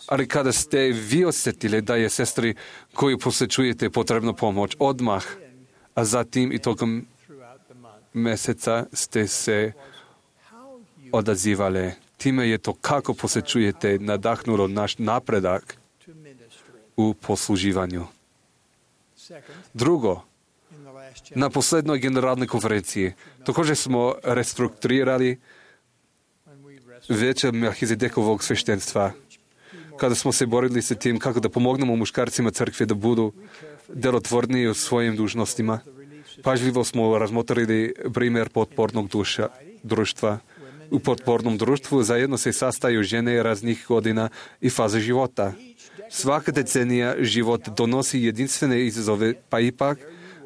Ali kada ste vi osjetili da je sestri koju posjećujete potrebno pomoć odmah, a zatim i tokom mjeseca ste se odazivali. Time je to kako posjećujete nadahnulo naš napredak u posluživanju. Drugo, na posljednoj generalnoj konferenciji također smo restrukturirali veće Melhizedekovog sveštenstva. Kada smo se borili sa tim kako da pomognemo muškarcima crkve da budu delotvorniji u svojim dužnostima, pažljivo smo razmotrili primjer potpornog duša, društva. U potpornom društvu zajedno se sastaju žene raznih godina i faze života. Svaka decenija život donosi jedinstvene izazove, pa ipak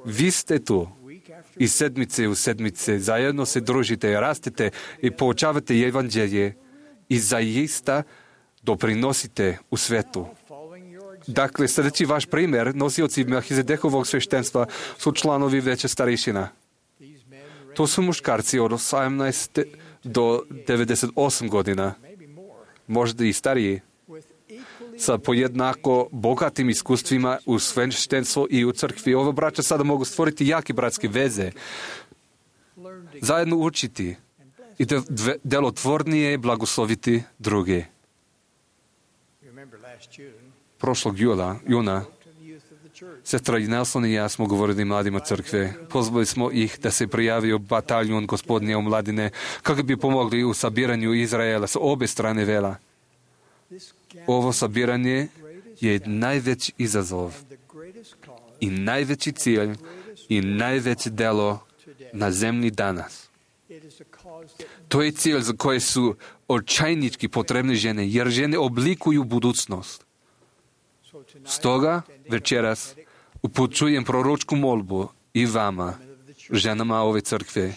vi ste tu. I sedmice u sedmice zajedno se družite, rastete i poučavate evanđelje i zaista doprinosite u svetu. Dakle, sljedeći vaš primjer, nosioci Melhizedekovog sveštenstva su članovi veće starešina. To su muškarci od osamnaest do devedeset osam godina, možda i stariji, sa pojednako bogatim iskustvima u sveštenstvu i u crkvi. Ova braća sada mogu stvoriti jake bratske veze, zajedno učiti i delotvornije blagosloviti druge. Prošlog jula, juna Sestra Nelson i ja smo govorili mladima crkve. Pozvali smo ih da se prijavio bataljon Gospodnje omladine kako bi pomogli u sabiranju Izraela s obe strane vela. Ovo sabiranje je najveći izazov i najveći cilj i najveće delo na zemlji danas. To je cilj za koje su očajnički potrebne žene, jer žene oblikuju budućnost. Stoga večeras upućujem proročku molbu i vama, ženama ove crkve,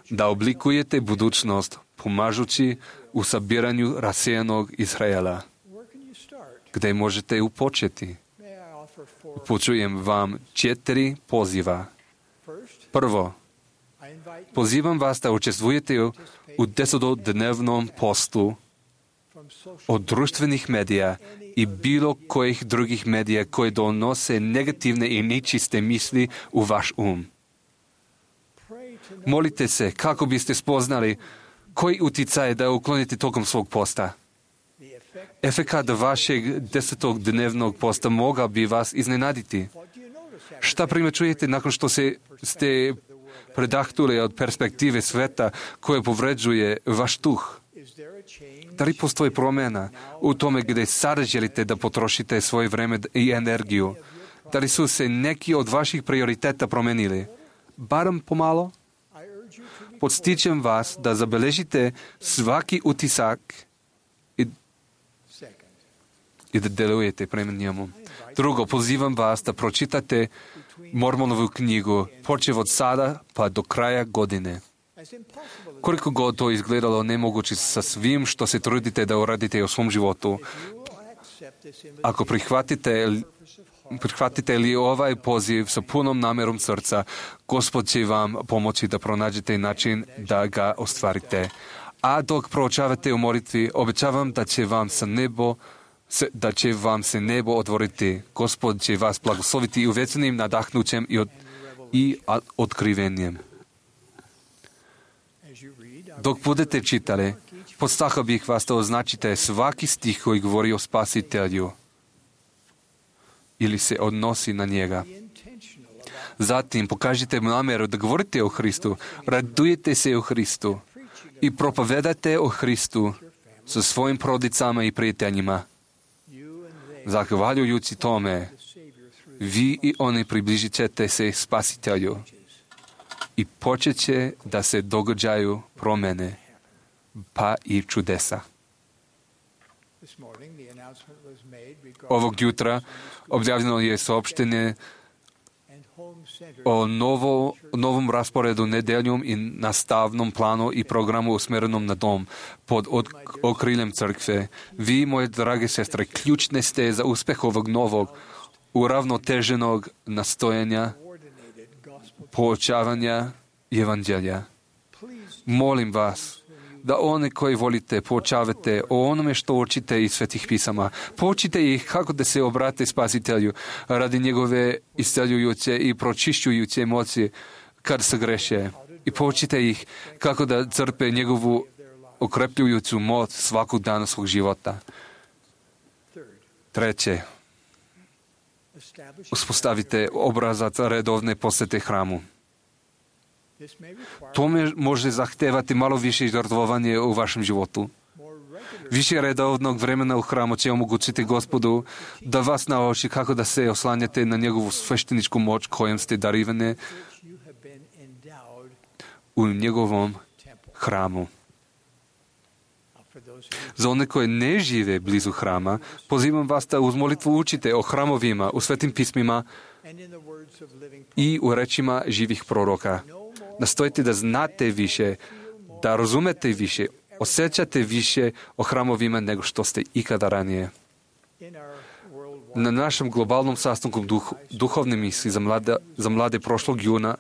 da oblikujete budućnost pomažući u sabiranju rasejanog Izraela. Gde možete upočeti? Upućujem vam četiri poziva. Prvo, pozivam vas da učestvujete u desetodnevnom postu od društvenih medija i bilo kojih drugih medija koje donose negativne i nečiste misli u vaš um. Molite se kako biste spoznali koji uticaj da uklonite tokom svog posta. Efekat vašeg desetodnevnog posta mogao bi vas iznenaditi. Šta primećujete nakon što se ste predahnuli od perspektive sveta koja povređuje vaš duh? Da li postoji promjena u tome gdje sada želite da potrošite svoje vreme i energiju? Da li su se neki od vaših prioriteta promenili? Barem pomalo? Podstičem vas da zabeležite svaki utisak i, i da delujete prema njemu. Drugo, pozivam vas da pročitate Mormonovu knjigu, počev od sada pa do kraja godine. Koliko god to izgledalo nemoguće sa svim što se trudite da uradite u svom životu, ako prihvatite, prihvatite li ovaj poziv sa punom namjerom srca, Gospod će vam pomoći da pronađete način da ga ostvarite. A dok proučavate u molitvi, obećavam da će vam sa nebo da će vam se nebo otvoriti. Gospod će vas blagosloviti uvečenim nadahnućem i, od, i otkrivenjem. Dok budete čitali, podstakao bih vas da označite svaki stih koji govori o Spasitelju ili se odnosi na njega. Zatim pokažite namjeru da govorite o Hristu, radujete se o Hristu i propovedate o Hristu sa svojim porodicama i prijateljima. Zahvaljujući tome, vi i oni približit ćete se Spasitelju i počet će da se događaju promjene, pa i čudesa. Ovog jutra objavljeno je saopštenje o novo, novom rasporedu nedeljom i nastavnom planu i programu usmjerenom na dom pod od, okriljem crkve. Vi, moje drage sestre, ključne ste za uspjeh ovog novog, uravnoteženog nastojanja, poučavanja evanđelja. Molim vas da one koji volite poučavate o onome što učite iz svetih pisama. Poučite ih kako da se obrate Spasitelju radi njegove isceljujuće i pročišćujuće moći kad se greše. I poučite ih kako da crpe njegovu okrepljujuću moć svakog dana svog života. Treće, uspostavite obrazac redovne posete hramu. To može zahtevati malo više žrtvovanje u vašem životu. Više redovnog vremena u hramu će omogućiti Gospodu da vas nauči kako da se oslanjate na njegovu svešteničku moć kojom ste darivane u njegovom hramu. Za one koje ne žive blizu hrama, pozivam vas da uz molitvu učite o hramovima, u svetim pismima i u rečima živih proroka. Nastojite da znate više, da razumete više, osjećate više o hramovima nego što ste ikada ranije. Na našem globalnom sastanku duh, duhovne misli za mlade, za mlade prošlog juna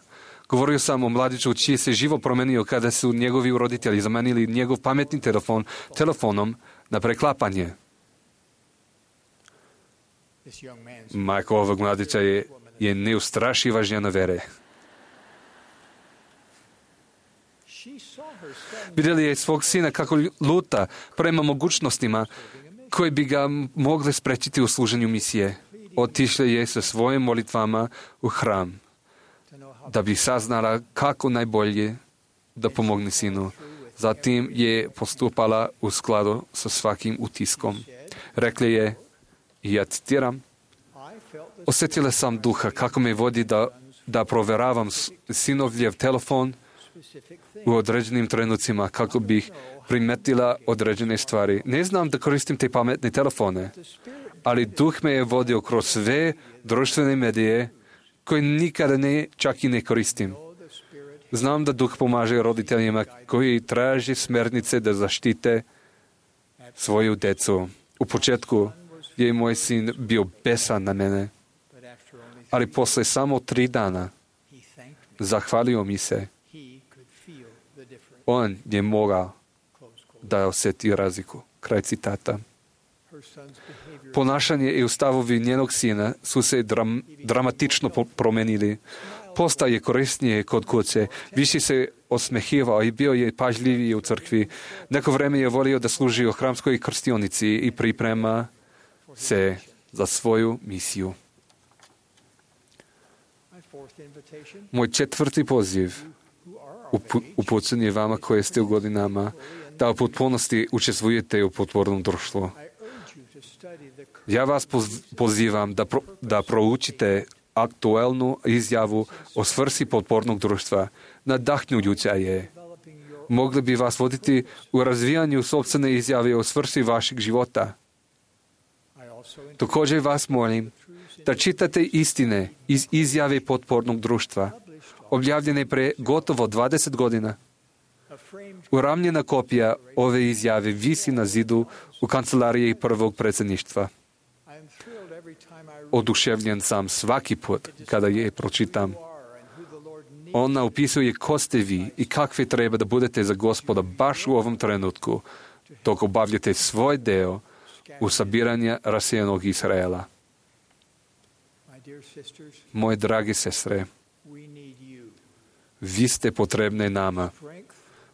govorio sam o mladiću čiji se živo promenio kada su njegovi roditelji zamenili njegov pametni telefon telefonom na preklapanje. Majka ovog mladića je, je neustrašiva žena vere. Vidjeli je svog sina kako luta prema mogućnostima koje bi ga mogle sprečiti u služenju misije. otišla je sa svojim molitvama u hram, da bi saznala kako najbolje da pomogne sinu. Zatim je postupala u skladu sa svakim utiskom. Rekla je, ja citiram, osjetila sam duha kako me vodi da, da proveravam sinovljev telefon u određenim trenucima kako bih primetila određene stvari. Ne znam da koristim te pametne telefone, ali duh me je vodio kroz sve društvene medije koje nikada ne, čak i ne koristim. Znam da duh pomaže roditeljima koji traže smernice da zaštite svoju decu. U početku je moj sin bio besan na mene, ali posle samo tri dana zahvalio mi se. On je mogao da osjeti razliku. Kraj citata. Ponašanje i stavovi njenog sina su se dram, dramatično promenili. Postao je korisnije kod kuće, više se osmehivao i bio je pažljiviji u crkvi. Neko vreme je volio da služi u hramskoj krstionici i priprema se za svoju misiju. Moj četvrti poziv upućen je vama koje ste u godinama da u potpunosti učestvujete u potpornom društvu. Ja vas pozivam da, pro, da proučite aktualnu izjavu o svrsi potpornog društva. Nadahnjujuća je. Mogli bi vas voditi u razvijanju sopstvene izjave o svrsi vašeg života. Također vas molim da čitate istine iz izjave potpornog društva, objavljene pre gotovo dvadeset godina. Uramljena kopija ove izjave visi na zidu u kancelariji prvog predsjedništva. Oduševljen sam svaki put kada je pročitam. Ona opisuje ko ste vi i kakvi treba da budete za Gospoda baš u ovom trenutku, dok obavljate svoj deo u sabiranju rasejanog Izraela. Moje drage sestre, vi ste potrebne nama.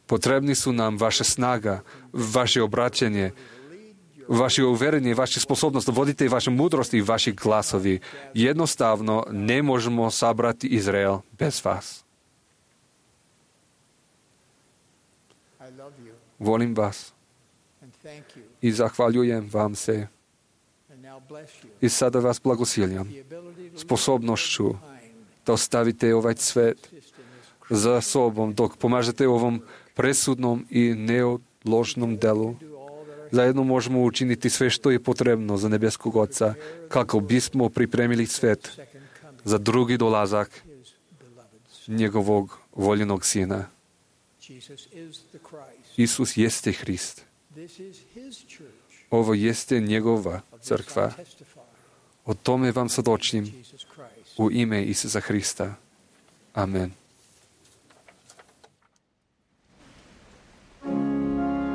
Potrebni su nam vaša snaga, vaše obraćanje, vaše uverenje, vaša sposobnost da vodite vaše mudrosti i vaši glasovi. Jednostavno ne možemo sabrati Izrael bez vas. Volim vas i zahvaljujem vam se. I sada vas blagosiljam sposobnošću da ostavite ovaj svet za sobom dok pomažete ovom presudnom i neodložnom delu. Zajedno možemo učiniti sve što je potrebno za nebeskog Oca kako bismo pripremili svet za drugi dolazak njegovog voljenog Sina. Isus jeste Hrist. Ovo jeste njegova crkva. O tome vam svjedočim u ime Isusa Hrista. Amen. To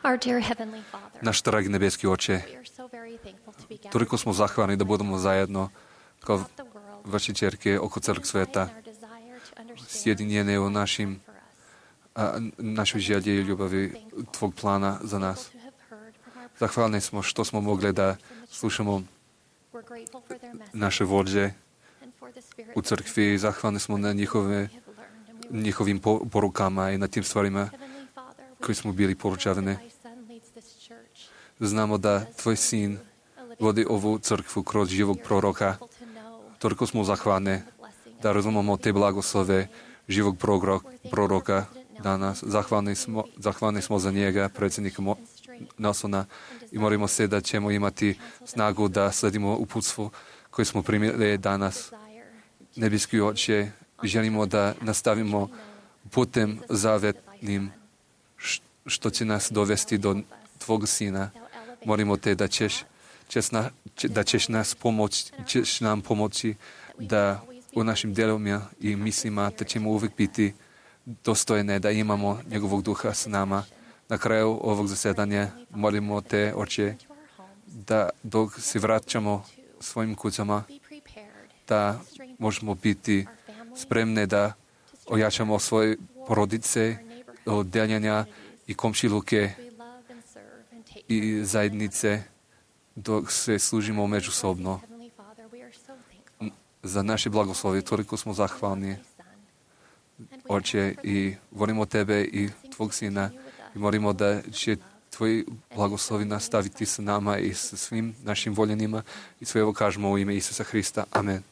Our dear Heavenly Father, Naš dragi nebeski Oče, we are so very thankful to be gathered toliko smo zahvalni da budemo zajedno kao throughout the world, vaše ćerke oko celog sveta, in our desire to understand sjedinjene u našim, for us. a, našoj želji i ljubavi Tvog plana za nas. To have heard from our Zahvalni smo što smo mogli da slušamo We're grateful for their message naše vođe and for the spirit u crkvi. Zahvalni smo na njihove, we have learned, and we will njihovim po- porukama i na tim stvarima Heavenly Father, we koji smo bili poručavani. know that thy Son leads this church. Znamo da Tvoj sin vodi ovu crkvu kroz živog proroka. To know Toliko smo zahvalni the blessing da razumemo te blagoslove živog prorok, proroka danas. Zahvalni smo, zahvalni smo za njega, predsjednika Mo- Nelsona, i molimo se da ćemo imati snagu da sledimo uputstvu koje smo primili danas. desire Nebeski Oče, želimo da nastavimo putem zavetnim š- što će nas dovesti do Tvog Sina. Molimo Te da ćeš, ćeš na, će- da ćeš nas pomoći, ćeš nam pomoći da u našim djelovima i mislima da ćemo uvijek biti dostojne, da imamo njegovog duha s nama. Na kraju ovog zasedanja molimo Te, Oče, to our homes, da dok se vraćamo svojim kućama, be prepared da možemo biti spremne da ojačamo svoje porodice od deljenja i komšiluke we love and serve and take i zajednice dok se služimo međusobno. Heavenly Father, we are so thankful Za naše blagoslovi toliko smo zahvalni, for thy Son. And we Oče, i volimo Tebe i Tvog Sina i molimo da će Tvoji blagoslovi nastaviti s nama i s svim našim voljenima i sve ovo kažemo u ime Isusa Hrista. Amen.